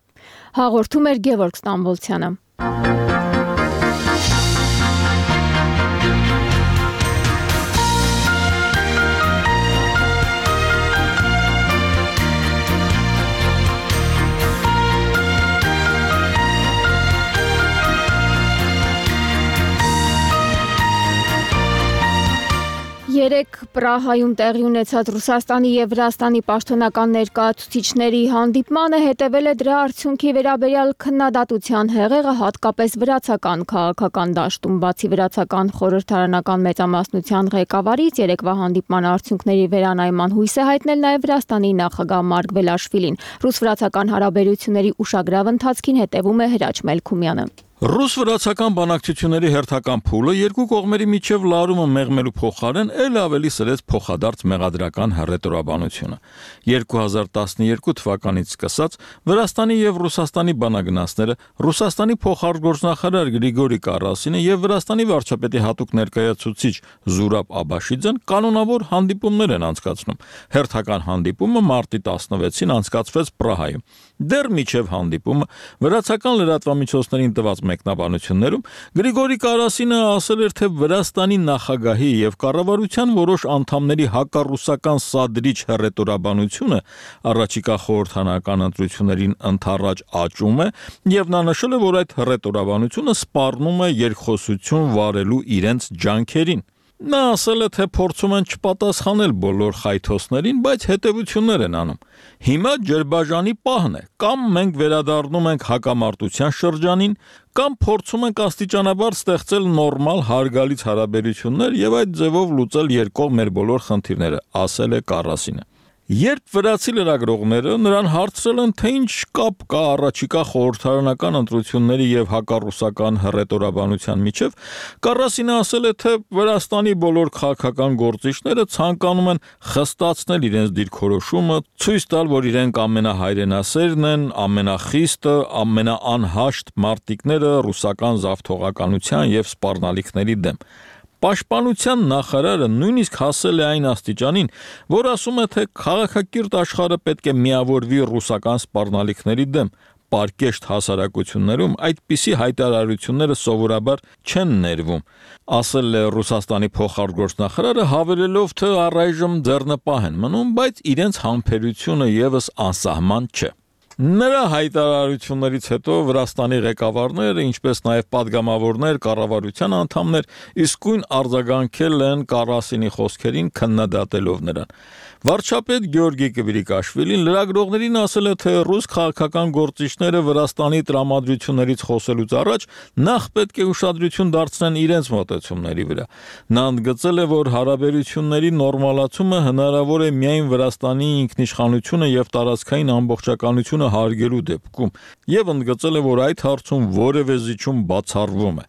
Հաղորդում էր Գևորգ Ստամբոլցյանը։ Երեկ Պրահայում տեղի ունեցած Ռուսաստանի եւ Վրաստանի պաշտոնական ներկայացուցիչների հանդիպմանը հետևել է դրա արդյունքի վերաբերյալ քննադատության հեղեղը հատկապես վրացական քաղաքական դաշտում, բացի վրացական խորհրդարանական մեծամասնության ղեկավարից երեկվա հանդիպման արդյունքների վերանայման հույս է հայտնել նաեւ Վրաստանի նախագահ Մարկ Վելաշվիլին։ Ռուս-վրացական հարաբերությունների ուշագրավ ընթացքին հետևում է Հրաչ Մելքումյանը։ Ռուս-վրացական բանակցությունների հերթական փուլը երկու կողմերի միջև լարումը մեղմելու փոխարեն ել ավելի սրեց փոխադարձ մեղադրական հռետորաբանությունը։ երկու հազար տասնյոթ թվականից սկսած Վրաստանի եւ Ռուսաստանի բանագնացները, Ռուսաստանի փոխարտգործնախարար Գրիգորի Կարասինը եւ Վրաստանի վարչապետի հատուկ ներկայացուցիչ Զուրաբ Աբաշիձեն կանոնավոր հանդիպումներ են անցկացնում։ Հերթական հանդիպումը մարտի տասնվեցին անցկացվեց Պրահայում։ Դեռ միջև հանդիպումը վրացական լրատվամիջոցներին տված մեկնաբանություններում Գրիգորի Կարասինը ասել էր, թե Վրաստանի նախագահի եւ կառավարության որոշ անդամների հակառուսական սադրիչ հռետորաբանությունը առաջիկա խորհրդարանական ընտրություններին ընդառաջ աճում է եւ նա նշել է, որ այդ հռետորաբանությունը սպառնում է երկխոսություն վարելու իրենց ջանքերին։ Նա ասել է, թե փորձում են չպատասխանել բոլոր խայթոցներին, բայց հետևություններ են անում։ Հիմա ջրբաժանի պահն է, կամ մենք վերադառնում ենք հակամարտության շրջանին, կամ փորձում ենք աստիճանաբար ստեղծել նորմալ հարգալից հարաբերություններ եւ այդ ձևով լուծել երկկողմ մեր բոլոր խնդիրները, ասել է Կարասինը։ Երբ վրացի լրագրողները նրան հարցրել են, թե ինչ կապ կա առաջիկա խորհրդարանական ընտրությունների եւ հակառուսական հռետորաբանության միջև, Կարասինը ասել է, թե Վրաստանի բոլոր քաղաքական գործիչները ցանկանում են խստացնել իրենց դիրքորոշումը, ցույց տալ, որ իրենք ամենահայրենասերն են, ամենախիստը, ամենաանհաշտ մարտիկները ռուսական զավթողականության եւ սպառնալիքների դեմ։ Պաշտպանության նախարարը նույնիսկ հասել է այն աստիճանին, որ ասում է, թե քաղաքակիրթ աշխարհը պետք է միավորվի ռուսական սպառնալիքների դեմ։ Պարկեշտ հասարակություններում այդպիսի հայտարարությունները սովորաբար չեն ներվում, ասել է Ռուսաստանի փոխարտգործնախարարը, հավելելով, թե առայժմ ձեռնպահ են մնում, բայց իրենց համբերությունը եւս անսահման չէ։ Նրա հայտարարություններից հետո Վրաստանի ղեկավարները, ինչպես նաև падգամավորներ, կառավարության անդամներ իսկույն արձագանքել են Կարասինի խոսքերին, քննադատելով նրան։ Վարչապետ Գյորգի Կվիրիկաշվիլին լրագրողներին ասել է, թե ռուս քաղաքական գործիչները Վրաստանի տրամադրություններից խոսելուց առաջ նախ պետք է ուշադրություն դարձնեն իրենց մոտեցումների վրա։ Նա ընդգծել է, որ հարաբերությունների նորմալացումը հնարավոր է միայն Վրաստանի ինքնիշխանությունը եւ տարածքային ամբողջականությունը հարգելու դեպքում, եւ ընդգծել է, որ այդ հարցում որևէ զիջում բացառվում է։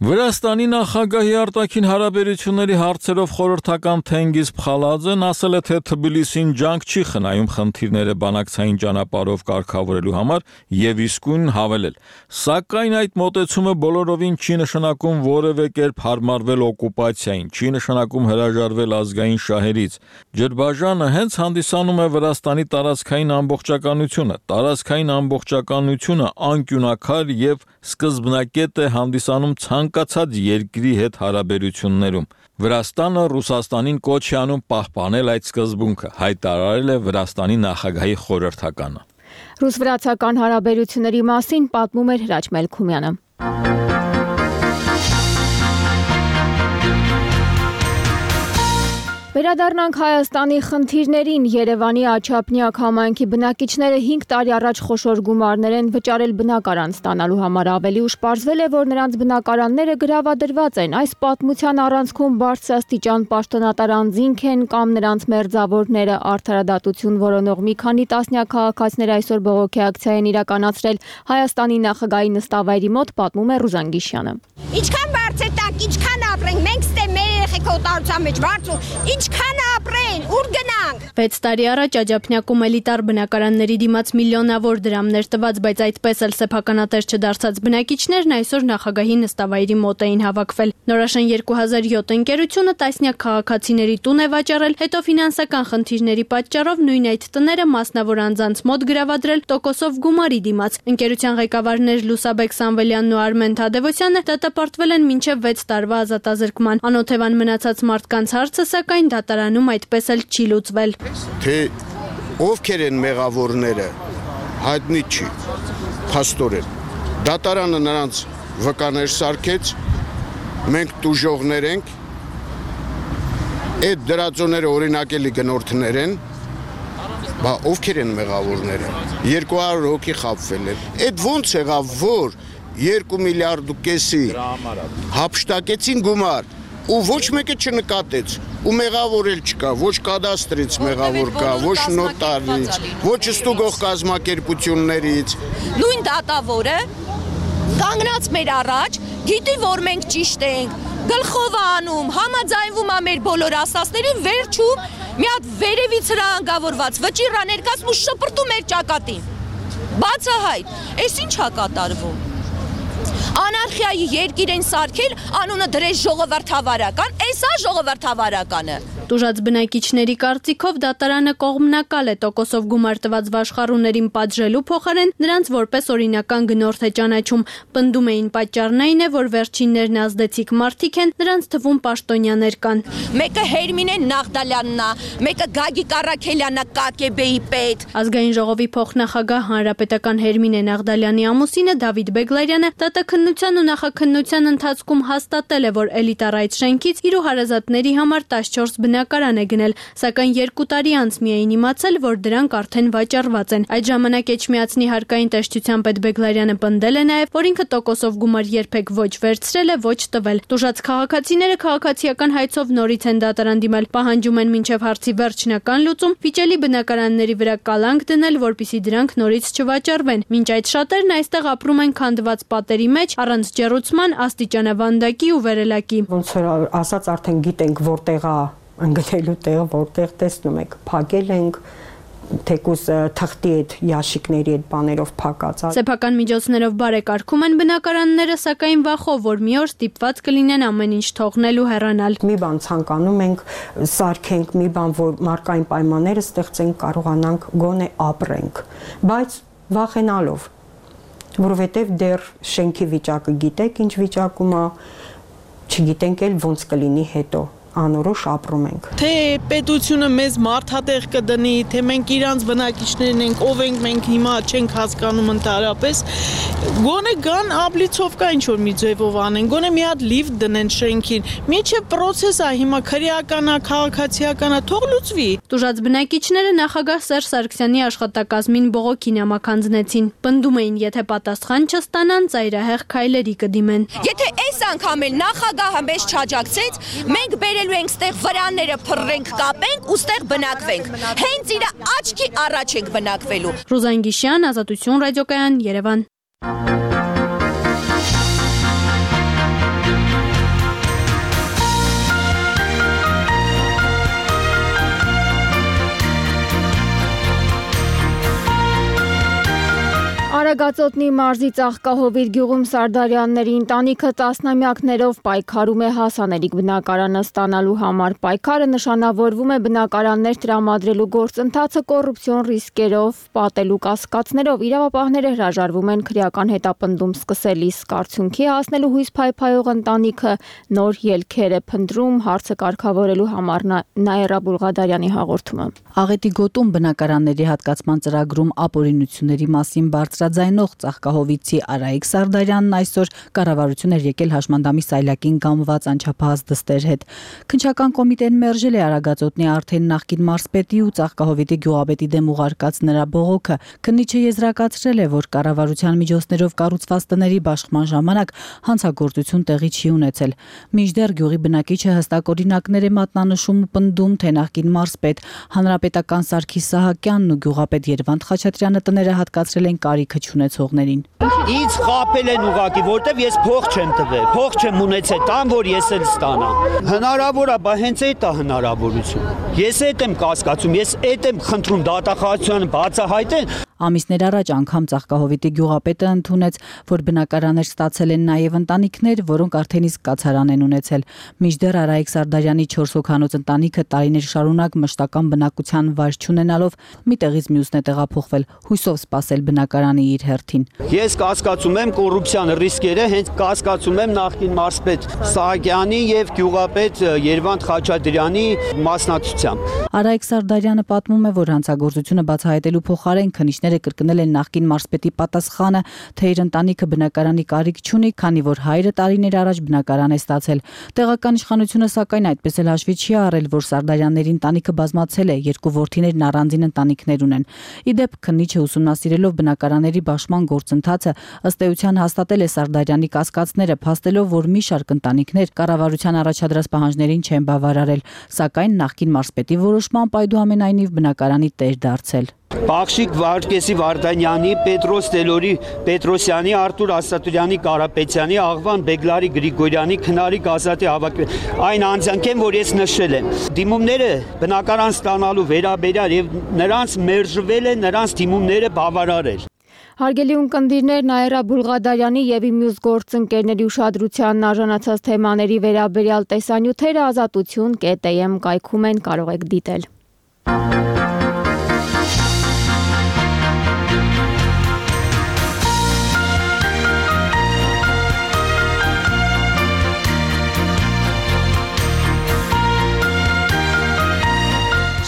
Վրաստանի նախագահի արտաքին հարաբերությունների հարցերով խորհրդական Թենգիզ Փխալաձեն ասել է, թե Թբիլիսին ջանք չի խնայում խնդիրները բանակցային ճանապարհով կարգավորելու համար եւ իսկույն հավելել. Սակայն այդ մոտեցումը բոլորովին չի նշանակում որևէ կերպ հարմարվել օկուպացիային, չի նշանակում հրաժարվել ազգային շահերից։ Ջրբաժանը հենց հանդիսանում է Վրաստանի տարածքային ամբողջականությունը, տարածքային ամբողջականությունը անկյունակար եւ սկզբնակետ է հանդիսանում ցանկացած երկրի հետ հարաբերություններում։ Վրաստանը Ռուսաստանին կոչ է անում պահպանել այդ սկզբունքը, հայտարարել է Վրաստանի նախագահի խորհրդականը։ Ռուս-վրացական հարաբերությունների մասին պատմում էր Հրաչ Մելքումյանը։ Վերադառնանք Հայաստանի խնդիրներին։ Երևանի Աչափնյակ համայնքի բնակիչները հինգ տարի առաջ խոշոր գումարներ են վճարել բնակարան ստանալու համար։ Ավելի ուշ պարզվել է, որ նրանց բնակարանները գրավադրված են։ Այս պատմության առանցքում բարձրաստիճան պաշտոնատար անձինք են կամ նրանց մերձավորները։ Արդարադատություն որոնող մի քանի տասնյակ քաղաքացիներ այսօր բողոքի ակցիա են իրականացրել Հայաստանի նախագահի նստավայրի մոտ, պատմում է Ռուզան Գիշյանը։ Ինչքան բարձր տակ, ինչքան ապրենք, մենք ստե մեր երեխեքը օտարության մեջ բարձր, ինչքան ապրեն, ուր գնանք։ վեց տարի առաջ Աջափնյակում էլիտար բնակարանների դիմաց միլիոնավոր դրամներ տված, բայց այդպես էլ սեփականատեր չդարձած բնակիչներն այսօր նախագահի նստավայրի մոտ էին հավաքվել։ Նորաշեն երկու հազար յոթ ընկերությունը տասնյակ քաղաքացիների տուն է վաճառել, հետո ֆինանսական խնդիրների պատճառով նույն այդ տները մասնավոր անձանց մոտ գրավադրել տոկոսով գումարի դիմաց։ Ընկերության ղեկավարներ Լուսաբեկ Սամվելյանն ու Արմեն Թադևոսյանը դատապարտվել են մինչև վեց տարվա ազատազրկման։ Անօթևան մնացած մարդկանց հարցը սակայն դատարանում այդպես էլ չի լուծվել։ Թե ովքեր են մեղավորները, հայտնի չի, փաստորեն։ Դատարանը նրանց վկաներ սարքեց, մենք տուժողներ ենք, այդ դրածոները օրինակելի գնորդներ են, բա ովքեր են մեղավորները, երկու հարյուր հոգի խաբվել են։ Այդ ոնց եղավ, որ երկու միլիարդ ու կեսի հափշտակեցին գումար, ու ոչ մեկը չնկատեց, ու մեղավոր էլ չկա, ոչ կադաստրից մեղավոր կա, ոչ նոտարից, ոչ ստուգող կազմակերպություններից։ Նույն դատավորը կանգնած մեր առաջ, գիտի, որ մենք ճիշտ ենք, գլխով անում, համաձայնվում է մեր բոլոր ասածներին, վերջում մի հատ վերևից հրահանգավորված վճիռ ներկայացնում ու շպրտում մեր ճակատին։ Բացահայտ, այս ինչ է կատարվում։ Անարխիայի երկիր են սարքել, անունը դրեց ժողովրդավարական, այս է ժողովրդավարականը։ Տուժած բնակիչների կարծիքով դատարանը կողմնակալ է տոկոսով գումար տված վաշխառուներին պատժելու փոխարեն նրանց որպես օրինական գնորդ է ճանաչում։ Պնդում էին պատճառն այն է, որ վերջիններն ազդեցիկ մարդիկ են, նրանց թվում պաշտոնյաներ կան։ Մեկը Հերմինե Նաղդալյանն է, մեկը Գագիկ Առաքելյանը Կ Կ B-ի պետ։ Ազգային ժողովի փոխնախագահ հանրապետական Հերմինե Նաղդալյանի ամուսինը Դավիթ Բեգլարյանը դատաքննության ու նախաքննության ընթացքում հաստատել է, որ էլիտար այդ շենքից իր ու հարազատների համար տասնչորս բնակարան է գնել, սակայն երկու տարի անց միայն իմացել, որ դրանք արդեն վաճառված են։ Այդ ժամանակ Էջմիածնի հարկային տեսչության պետ Բեգլարյանը պնդել է նաև, որ ինքը տոկոսով գումար երբեք ոչ վերցրել է, ոչ տվել։ Տուժած քաղաքացիները քաղաքացիական հայցով նորից են դատարան դիմել, պահանջում են մինչև հարցի վերջնական լուծում վիճելի բնակարանների վրա կալանք դնել, որպիսի դրանք նորից չվաճառվեն։ Մինչ այդ շատերն այստեղ ապրում են քանդված պատերի մեջ, առանց ջեռուցման, աստիճանավանդակի ու վերելակի։ Ոնց որ ասած արդեն գիտենք որտեղ է ընկնելու տեղը, որտեղ տեսնում եք, փակել ենք, թեկուզ թղթի այդ ящикների այդ բաներով փակած։ Սեփական միջոցներով բարեկարգում են բնակարանները, սակայն վախով, որ մի օր ստիպված կլինեն ամեն ինչ թողնել ու հեռանալ։ Մի բան ցանկանում ենք սարքենք, մի բան, որ մարկային պայմանները ստեղծենք, կարողանանք գոնե ապրենք, բայց վախենալով, որովհետև դեռ շենքի վիճակը գիտեք, ինչ վիճակում է, չգիտենք էլ ոնց կլինի հետո։ Անորոշ ապրում ենք։ Թե պետությունը մեզ մարդատեղ կդնի, թե մենք իրանց բնակիչներն ենք, ով ենք մենք հիմա չենք հասկանում ընդհանրապես, գոնե գան աբլիցովկա ինչ որ մի ձևով անեն, գոնե մի հատ լիֆտ դնեն շենքին։ Միջև process է հիմա քրեական է, քաղաքացիական է, թող լուծվի։ Տուժած բնակիչները նախագահ Սերժ Սարգսյանի աշխատակազմին բողոքի նամականձնեցին։ Պնդում էին, եթե պատասխան չստանան, ծայրահեղ քայլերի կդիմեն։ Եթե այս անգամ էլ նախագահը մեզ չաջակցեց, մենք բերելու ենք ստեղ վրանները փռենք, կապենք ու ստեղ բնակվենք։ Հենց իր աչքի առաջ ենք բնակվելու։ Ռուզան Գիշյան, Ազատություն ռադիոկայան, Երևան։ Արագածոտնի մարզի Ծաղկահովիտ գյուղում Սարդարյանների ընտանիքը տասնամյակներով պայքարում է հասանելիք բնակարանը ստանալու համար։ Պայքարը նշանավորվում է բնակարաններ տրամադրելու գործընթացը կոռուպցիոն ռիսկերով, պատելու կասկածներով։ Իրավապահները հրաժարվում են քրեական հետապնդում սկսել, իսկ արդյունքի հասնելու հույս փայփայող ընտանիքը նոր ելքեր է փնտրում, հարցը կարգավորելու համար Նաիրա Բուլղադարյանի հաղորդումը։ Աղետի գոտում բնակարանների հատկացման ծրագրում ապօրինությունների մասին բարձրաձայնող Ծաղկահովիցի Արայիկ Սարդարյանն այսօր կառավարություն էր եկել հաշմանդամի սայլակին գամված անչափահաս դստեր հետ։ Քննչական կոմիտեն մերժել է Արագածոտնի արդեն նախկին մարզպետի ու Ծաղկահովիտի գյուղապետի դեմ ուղարկած նրա բողոքը։ Քննիչը եզրակացրել է, որ կառավարության միջոցներով կառուցված տների բաշխման ժամանակ հանցագործություն տեղի չի ունեցել։ Մինչդեռ գյուղի բնակիչը հստակ օրինակներ է մատնանշում ու պնդում, թե նախկին մարզպետ Հանրապետական Սարգիս Սահակյանն ու գյուղապետ Երվանդ Խաչատրյանը տները հատկացրել են կարիքը չունեցողներին։ Ինձ խաբել են ուղակի, որտեվ ես փող չեմ տվել, փող չեմ ունեցել, տամ որ ես էլ ստանամ։ Հնարավոր է, բա հենց այդ է հնարավորություն։ Ես այդ եմ կասկածում, ես այդ եմ խնդրում դատախազությունը բացահայտեն։ Ամիսներ առաջ անգամ Ծաղկահովիտի գյուղապետը ընդունեց, որ բնակարաններ ստացել են նաև ընտանիքներ, որոնք արդեն իսկ կացարան են ունեցել։ Մինչդեռ Արայիկ Սարդարյանի չորս հոգանոց ընտանիքը տարիներ շարունակ մշտական բնակության վայր չունենալով մի տեղից մյուսն է տեղափոխվել, հույսով սպասել բնակարանի իր հերթին։ Ես կասկածում եմ կոռուպցիան ռիսկերը, հենց կասկածում եմ նախկին մարզպետ Սահակյանի եւ գյուղապետ Երվանդ Խաչատրյանի մասնակցությամբ։ Արայիկ Սարդարյանը պատմում է, որ հանցագործությունը բացահայտելու փոխարեն քննիչները կրկնել են նախկին մարզպետի պատասխանը, թե իր ընտանիքը բնակարանի կարիք չունի, քանի որ հայրը տարիներ առաջ բնակարան է ստացել։ Տեղական իշխանությունը սակայն այդպես էլ հաշվի չի առել, որ Սարդարյանների ընտանիքը բազմացել է, երկու որդիներն առանձին ընտանիքներ ունեն։ Ի դեպ, քննիչը ուսումնասիրելով բնակարանների բաշխման գործընթացը ըստ էության հաստատել է Սարդարյանի կասկածները, փաստելով, որ մի շարք ընտանիքներ կառավարության առաջադրած պահանջներին չեն բավարարել, սակայն նախկին մարզպետի որոշմամբ այդուամենայնիվ բնակարանի տեր դարձել։ Բախշիկ Վարդգեսի Վարդանյանի, Պետրոս Տելորի Պետրոսյանի, Արտուր Ասատուրյանի Կարապետյանի, Աղվան Բեգլարի Գրիգորյանի, Քնարիկ Ազատի հավաքվել այն անձանք են, որ ես նշել եմ։ Դիմումները բնակարան ստանալու վերաբերյալ եւ նրանց մերժվել է, նրանց դիմումները բավարարել։ Հարգելի ունկնդիրներ, Նաիրա Բուլղադարյանի եւ իմ մյուս գործընկերների ուշադրությանն արժանացած թեմաների վերաբերյալ տեսանյութերը ազատություն կետ էմ կայքում են, կարող եք դիտել։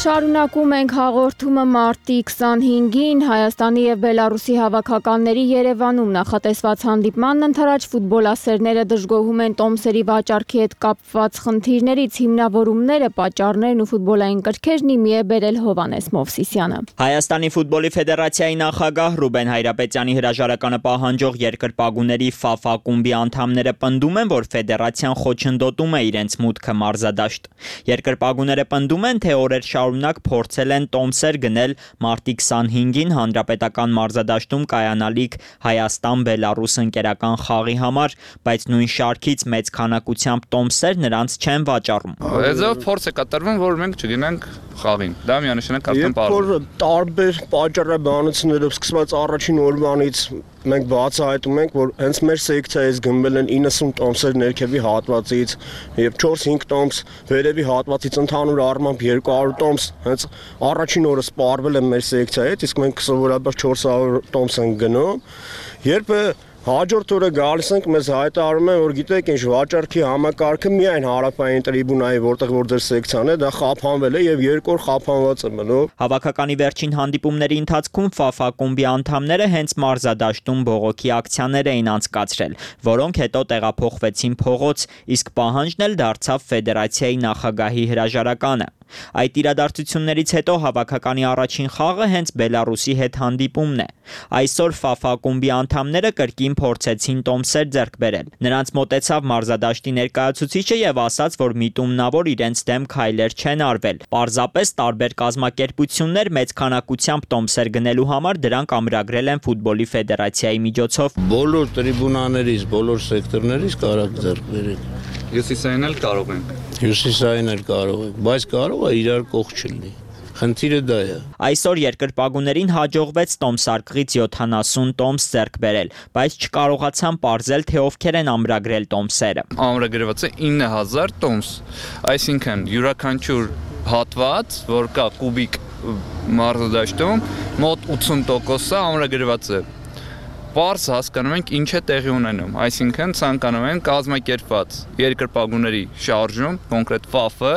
Շարունակում ենք հաղորդումը մարտի քսանհինգին Հայաստանի եւ Բելարուսի հավաքականների Երևանում նախատեսված հանդիպմանն ընթരാճ ֆուտբոլասերները դժգոհում են տոմսերի վաճառքի հետ կապված խնդիրներից, հիմնավորումները, պատճառներն ու ֆուտբոլային կրքերն իմի է բերել Հովանես Մովսիսյանը։ Հայաստանի ֆուտբոլի ֆեդերացիայի նախագահ Ռուբեն Հայրապետյանի հրաժարականը պահանջող երկրպագուների ՖԱՖ ակումբի անդամները պնդում են, որ ֆեդերացիան խոչընդոտում է իրենց մուտքը մարզադաշտ։ Երկրպագուները պնդում են, թե օրեր շարունակ շարունակ փորձել են տոմսեր գնել մարտի քսանհինգին հանրապետական մարզադաշտում կայանալիք Հայաստան-Բելարուս ընկերական խաղի համար, բայց նույն շարքից մեծ քանակությամբ տոմսեր նրանց չեն վաճառում։ Այդով փորձ է կատարվում, որ մենք չգնանք խաղին։ Դա միանշանակ արդեն պարզ է։ Տարբեր պատճառաբանություններով սկսված առաջին օրվանից մենք բացահայտում ենք, որ հենց մեր սեկցիայից գնվել են իննսուն տոմսեր ներքևի հատվածից եւ չորս-հինգ տոմս վերևի հատվածից, ընդհանուր առմամբ երկու հարյուր տոմս հենց առաջին օրը սպառվել են մեր սեկցիայից, իսկ մենք սովորաբար չորս հարյուր տոմս ենք գնում։ Երբ հաջորդ օրը գալիս ենք, մեզ հայտարարում են, որ գիտեք, ինչ վաճառքի համակարգը միայն հարավային տրիբունայի, որտեղ որ ձեր սեկցիան է, դա խափանվել է եւ երկու օր խափանված է մնում։ Հավաքականի վերջին հանդիպումների ընթացքում Ֆ Ֆ ակումբի անդամները հենց մարզադաշտում բողոքի ակցիաներ էին անցկացրել, որոնք հետո տեղափոխվեցին փողոց, իսկ պահանջն էլ դարձավ ֆեդերացիայի նախագահի հրաժարականը։ Այդ իրադարձություններից հետո հավաքականի առաջին խաղը հենց Բելարուսի հետ հանդիպումն է։ Այսօր Ֆ Ֆ ակումբի անդամները կրկին փորձեցին տոմսեր ձեռք բերել։ Նրանց մոտեցավ մարզադաշտի ներկայացուցիչը եւ ասաց, որ միտումնավոր իրենց դեմ քայլեր չեն արվել։ Պարզապես տարբեր կազմակերպություններ մեծ քանակությամբ տոմսեր գնելու համար դրանք ամրագրել են ֆուտբոլի ֆեդերացիայի միջոցով։ Բոլոր տրիբունաներից, բոլոր սեկտորներից կարող ձեռք բերեք։ Հյուսիսային էլ կարող ենք։ Հյուսիսային էլ կարող ենք, բայց կարող է իրար կողք չլինի։ Խնդիրը դա է։ Այսօր երկրպագուներին հաջողվեց տոմսարկղից յոթանասուն տոմս ձեռք բերել, բայց չկարողացան պարզել, թե ովքեր են ամրագրել տոմսերը։ Ամրագրված է ինը հազար տոմս, այսինքն յուրաքանչյուր հատված, որ կա կուբիկ մարզադաշտում, մոտ ութսուն տոկոսը ամրագրված է։ Պարզ հասկանում ենք ինչ է տեղի ունենում, այսինքն ցանկանում են կազմակերպված երկրպագուների շարժում, կոնկրետ Ֆ Ֆ-ը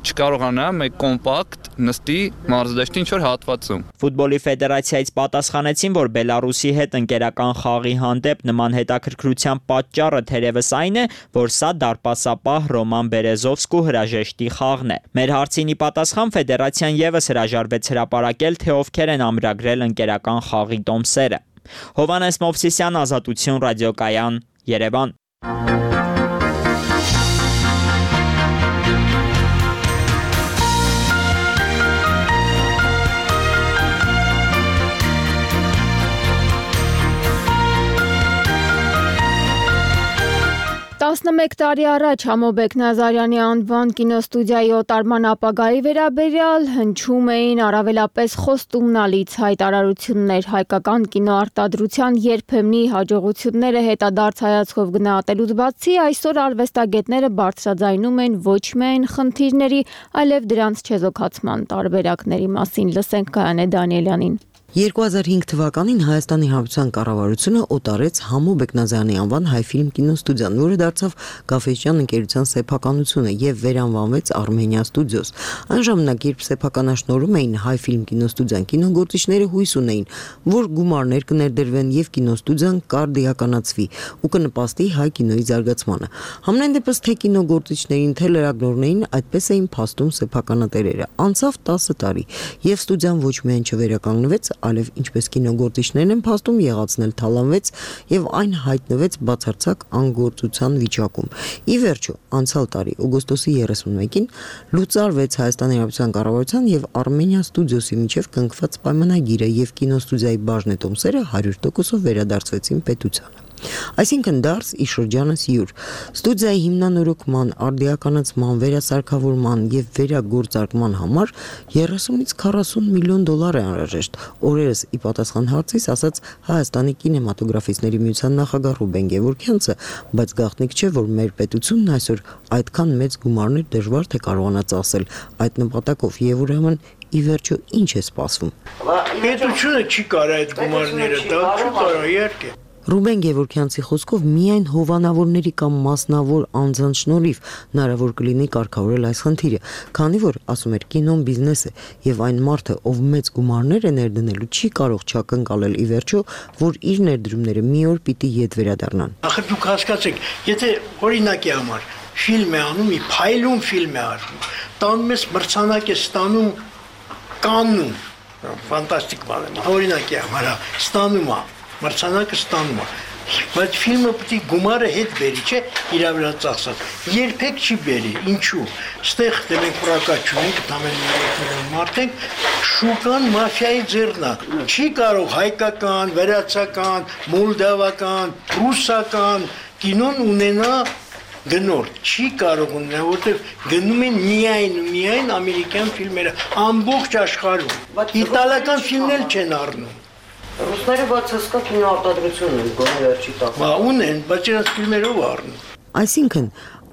չկարողանա մեկ կոմպակտ նստի մարզադաշտի ինչ-որ հատվածում։ Ֆուտբոլի ֆեդերացիայից պատասխանեցին, որ Բելարուսի հետ ընկերական խաղի հանդեպ նման հետաքրքրության պատճառը թերևս այն է, որ սա դարպասապահ Ռոման Բերեզովսկու հրաժեշտի խաղն է։ Մեր հարցին ի պատասխան ֆեդերացիան եւս հրաժարվեց հրապարակել, թե ովքեր են ամրագրել ընկերական խաղի տոմսերը։ Հովանես Մովսիսյան, Ազատություն ռադիոկայան, Երևան։ տասնմեկ տարի առաջ Համոբեկ Նազարյանի անվան կինոստուդիայի օտարման ապագայի վերաբերյալ հնչում էին առավելապես խոստումնալից հայտարարություններ, հայկական կինոարտադրության երբեմնի հաջողությունները հետադարձ հայացքով գնահատելուց բացի, այսօր արվեստագետները բարձրաձայնում են ոչ միայն խնդիրների, այլև դրանց չեզոքացման տարբերակների մասին։ Լսենք Գայանե Դանիելյանին։ երկու հազար հինգ թվականին Հայաստանի Հանրապետության կառավարությունը օտարեց Համո Բեկնազարյանի անվան հայ-ֆիլմ կինոստուդիան, որը դարձավ Գաֆէսճյան ընկերության սեփականությունը եւ վերանվանվեց Արմենիա ստուդիոս։ Այն ժամանակ, երբ սեփականաշնորհում էին հայ-ֆիլմ կինոստուդիան, կինոգործիչները հույս ունեին, որ գումարներ կներդրվեն եւ կինոստուդիան կարդիականացվի ու կնպաստի հայ կինոյի զարգացմանը։ Համենայն դեպս թե կինոգործիչներին, թե լրագրողներին այդպես էին փաստում սեփականատերերը։ Անցավ տասը տարի եւ ստուդիան ոչ միայն չվերականգնվեց, այլև ինչպես կինոգործիչներն են փաստում, եղածն էլ թալանվեց եւ այն հայտնվեց բացարձակ անգործության վիճակում։ Ի վերջո, անցյալ տարի օգոստոսի երեսունմեկին լուծարվեց Հայաստանի Հանրապետության կառավարության եւ Արմենիա ստուդիոսի միջև կնքված պայմանագիրը եւ կինոստուդիայի բաժնետոմսերը հարյուր տոկոսով վերադարձվեցին պետությանը։ Այսինքն դարձ ի շրջանս յուր։ Ստուդիայի հիմնանորոգման, արդիականացման, վերասարքավորման եւ վերագործարկման համար երեսունից քառասուն միլիոն դոլար է անհրաժեշտ։ Օրերս ի պատասխան հարցից ասաց Հայաստանի կինեմատոգրաֆիստների միության նախագահ Ռուբեն Գևորգյանցը, բայց գաղտնիք չէ, որ մեր պետությունն այսօր այդքան մեծ գումարներ դժվար թե կարողանա ծախսել այդ նպատակով եւ ուրեմն ի վերջո ինչ է սպասվում։ Պետությունը չի կարող այդ գումարները տալ, չի կարող իհարկե։ Ռուբեն Գևորգյանցի խոսքով միայն հովանավորների կամ մասնավոր անձանց շնորհիվ հնարավոր կլինի կարգավորել այս խնդիրը, քանի որ, ասում էր, կինոն բիզնես է եւ այն մարդը, ով մեծ գումարներ է ներդնելու, չի կարող չակնկալել ի վերջո, որ իր ներդրումները մի օր պիտի ետ վերադառնան։ Ախր դուք հասկացեք, եթե օրինակի համար ֆիլմ է անում, մի փայլուն ֆիլմ է արվում, տանում ես մրցանակ է ստանում Կաննում, ֆանտաստիկ բան է, օրինակի համար ստանում է մրցանակը ստանում է։ բայց ֆիլմը պետք է գումարը հետ բերի, չէ, իր վրա ծախսած։ Երբեք չի բերի, ինչու։ Ստեղ դե մենք պրակատ չունենք, ամեն միլիոն մարդ ենք, շուկան մաֆիայի ձեռն է։ Չի կարող հայկական, վրացական, մոլդավական, ռուսական կինոն ունենա գնորդ չի կարող ունենալ, որտեղ գնում են միայն ու միայն ամերիկյան ֆիլմերը ամբողջ աշխարհում։ Իտալական ֆիլմներ չեն առնում։ Ռուսները բաց հսկա կինոարտադրություն ունեն, գոնե վերջի տակ։ Բա ունեն, բայց իրենց ֆիլմերով առնում։ Այսինքն,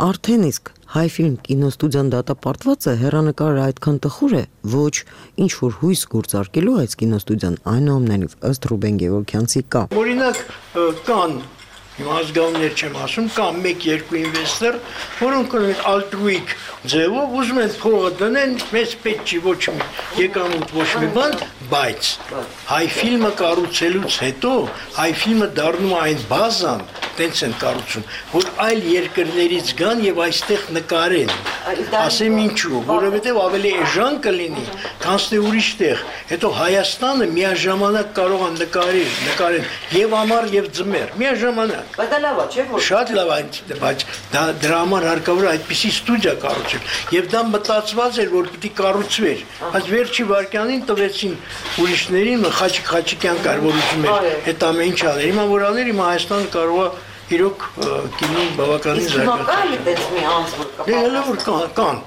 արդեն իսկ հայ ֆիլմ կինոստուդիան դատապարտված է, հեռանկարը այդքան տխուր է, ոչ ինչ որ հույս գործարկելու այս կինոստուդիան այնուամենայնիվ ըստ Ռուբեն Գևորգյանցի կա։ Օրինակ կան Հիմա ազգանուններ չեմ ասում, կա մեկ-երկու ինվեստոր, որոնք ունեն ալտրուիկ ձևով ուզում են փողը դնեն, մեզ պետք չի ոչ մի եկամուտ, ոչ մի բան, բայց հայ ֆիլմը կառուցելուց հետո հայ ֆիլմը դառնում է այն բազան, տենց են կառուցում, որ այլ երկրներից գան եւ այստեղ նկարեն։ Ասեմ ինչու, որովհետեւ ավելի էժան կլինի, քան թե ուրիշ տեղ։ Հետո Հայաստանը միաժամանակ կարող է նկարել, նկարեն եւ ամառ եւ ձմեռ, միաժամանակ։ Բայց դա լավ է, չէ՞ որ։ Շատ լավ է, բայց դա դրա համար հարկավոր է այդպիսի ստուդիա կառուցել։ Եվ դա մտածված էր, որ պիտի կառուցվեր, բայց վերջի վարքյանին տվեցին ուրիշներին, Խաչիկ Խաչիկյան կար, որ ուզում էր այդ ամեն ինչ անել։ Հիմա որ աներ, հիմա Հայաստանը կարող է իրոք կինոն բավականին զարգացնել։ Իսկ հիմա կա՞ մի անձ, որ կա։ Դե հələ որ կան։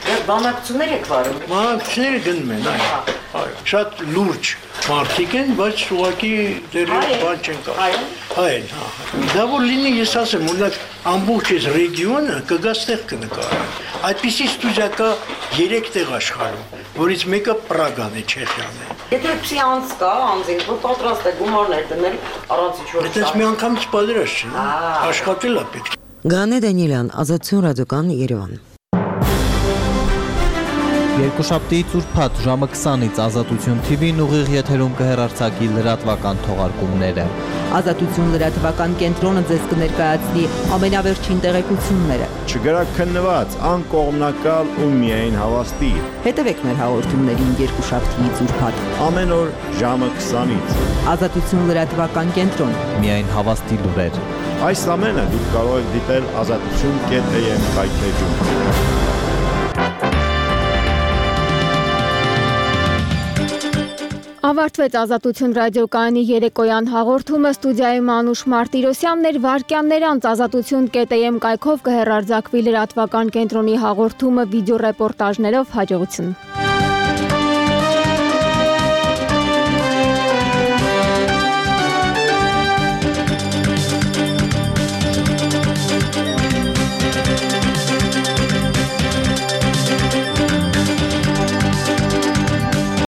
Դե բանակցություններ եք վարում։ Բանակցությունները գնում են, այո։ Այո, շատ լուրջ մարդիկ են, բայց ուղղակի դեռ բան չեն կարող։ Հայ, հա։ Դա որ լինի, ես ասեմ, օրինակ ամբողջ այս ռեգիոնը կգա ստեղ կնկարի։ Այդպիսի ստուդիա կա երեք տեղ աշխարհում, որից մեկը Պրագան է, Չեխիան է։ Եթե այդպիսի անձ կա, անձին, որ պատրաստ է գումարներ դնել առանց ինչ-որ։ Այդպես մի անգամից պատրաստ չէ, աշխատել է պետք։ Գանե Դանիելյան, Ազատություն ռադիոկան, Երևան։ Երկուշաբթիից ուրբաթ ժամը քսանից Ազատություն Թի Վին ուղիղ եթերում կհեռարձակի լրատվական թողարկումները։ Ազատություն լրատվական կենտրոնը ձեզ կներկայացնի ամենավերջին տեղեկությունները։ Չգրակ քննված, անկողմնակալ ու միայն հավաստի։ Հետևեք մեր հաղորդումներին երկուշաբթիից ուրբաթ ամեն օր ժամը քսանից։ Ազատություն լրատվական կենտրոն։ Միայն հավաստի լուրեր։ Այս ամենը դուք կարող եք դիտել ազատություն կետ է եմ կայքեջում։ Ավարտվեց Ազատություն ռադիոկայանի երեկոյան հաղորդումը, ստուդիայում Անուշ Մարտիրոսյանն էր, վայրկյաններ անց ազատություն կետ է եմ կայքով կհեռարձակվի լրատվական կենտրոնի հաղորդումը վիդեոռեպորտաժներով, հաջողություն։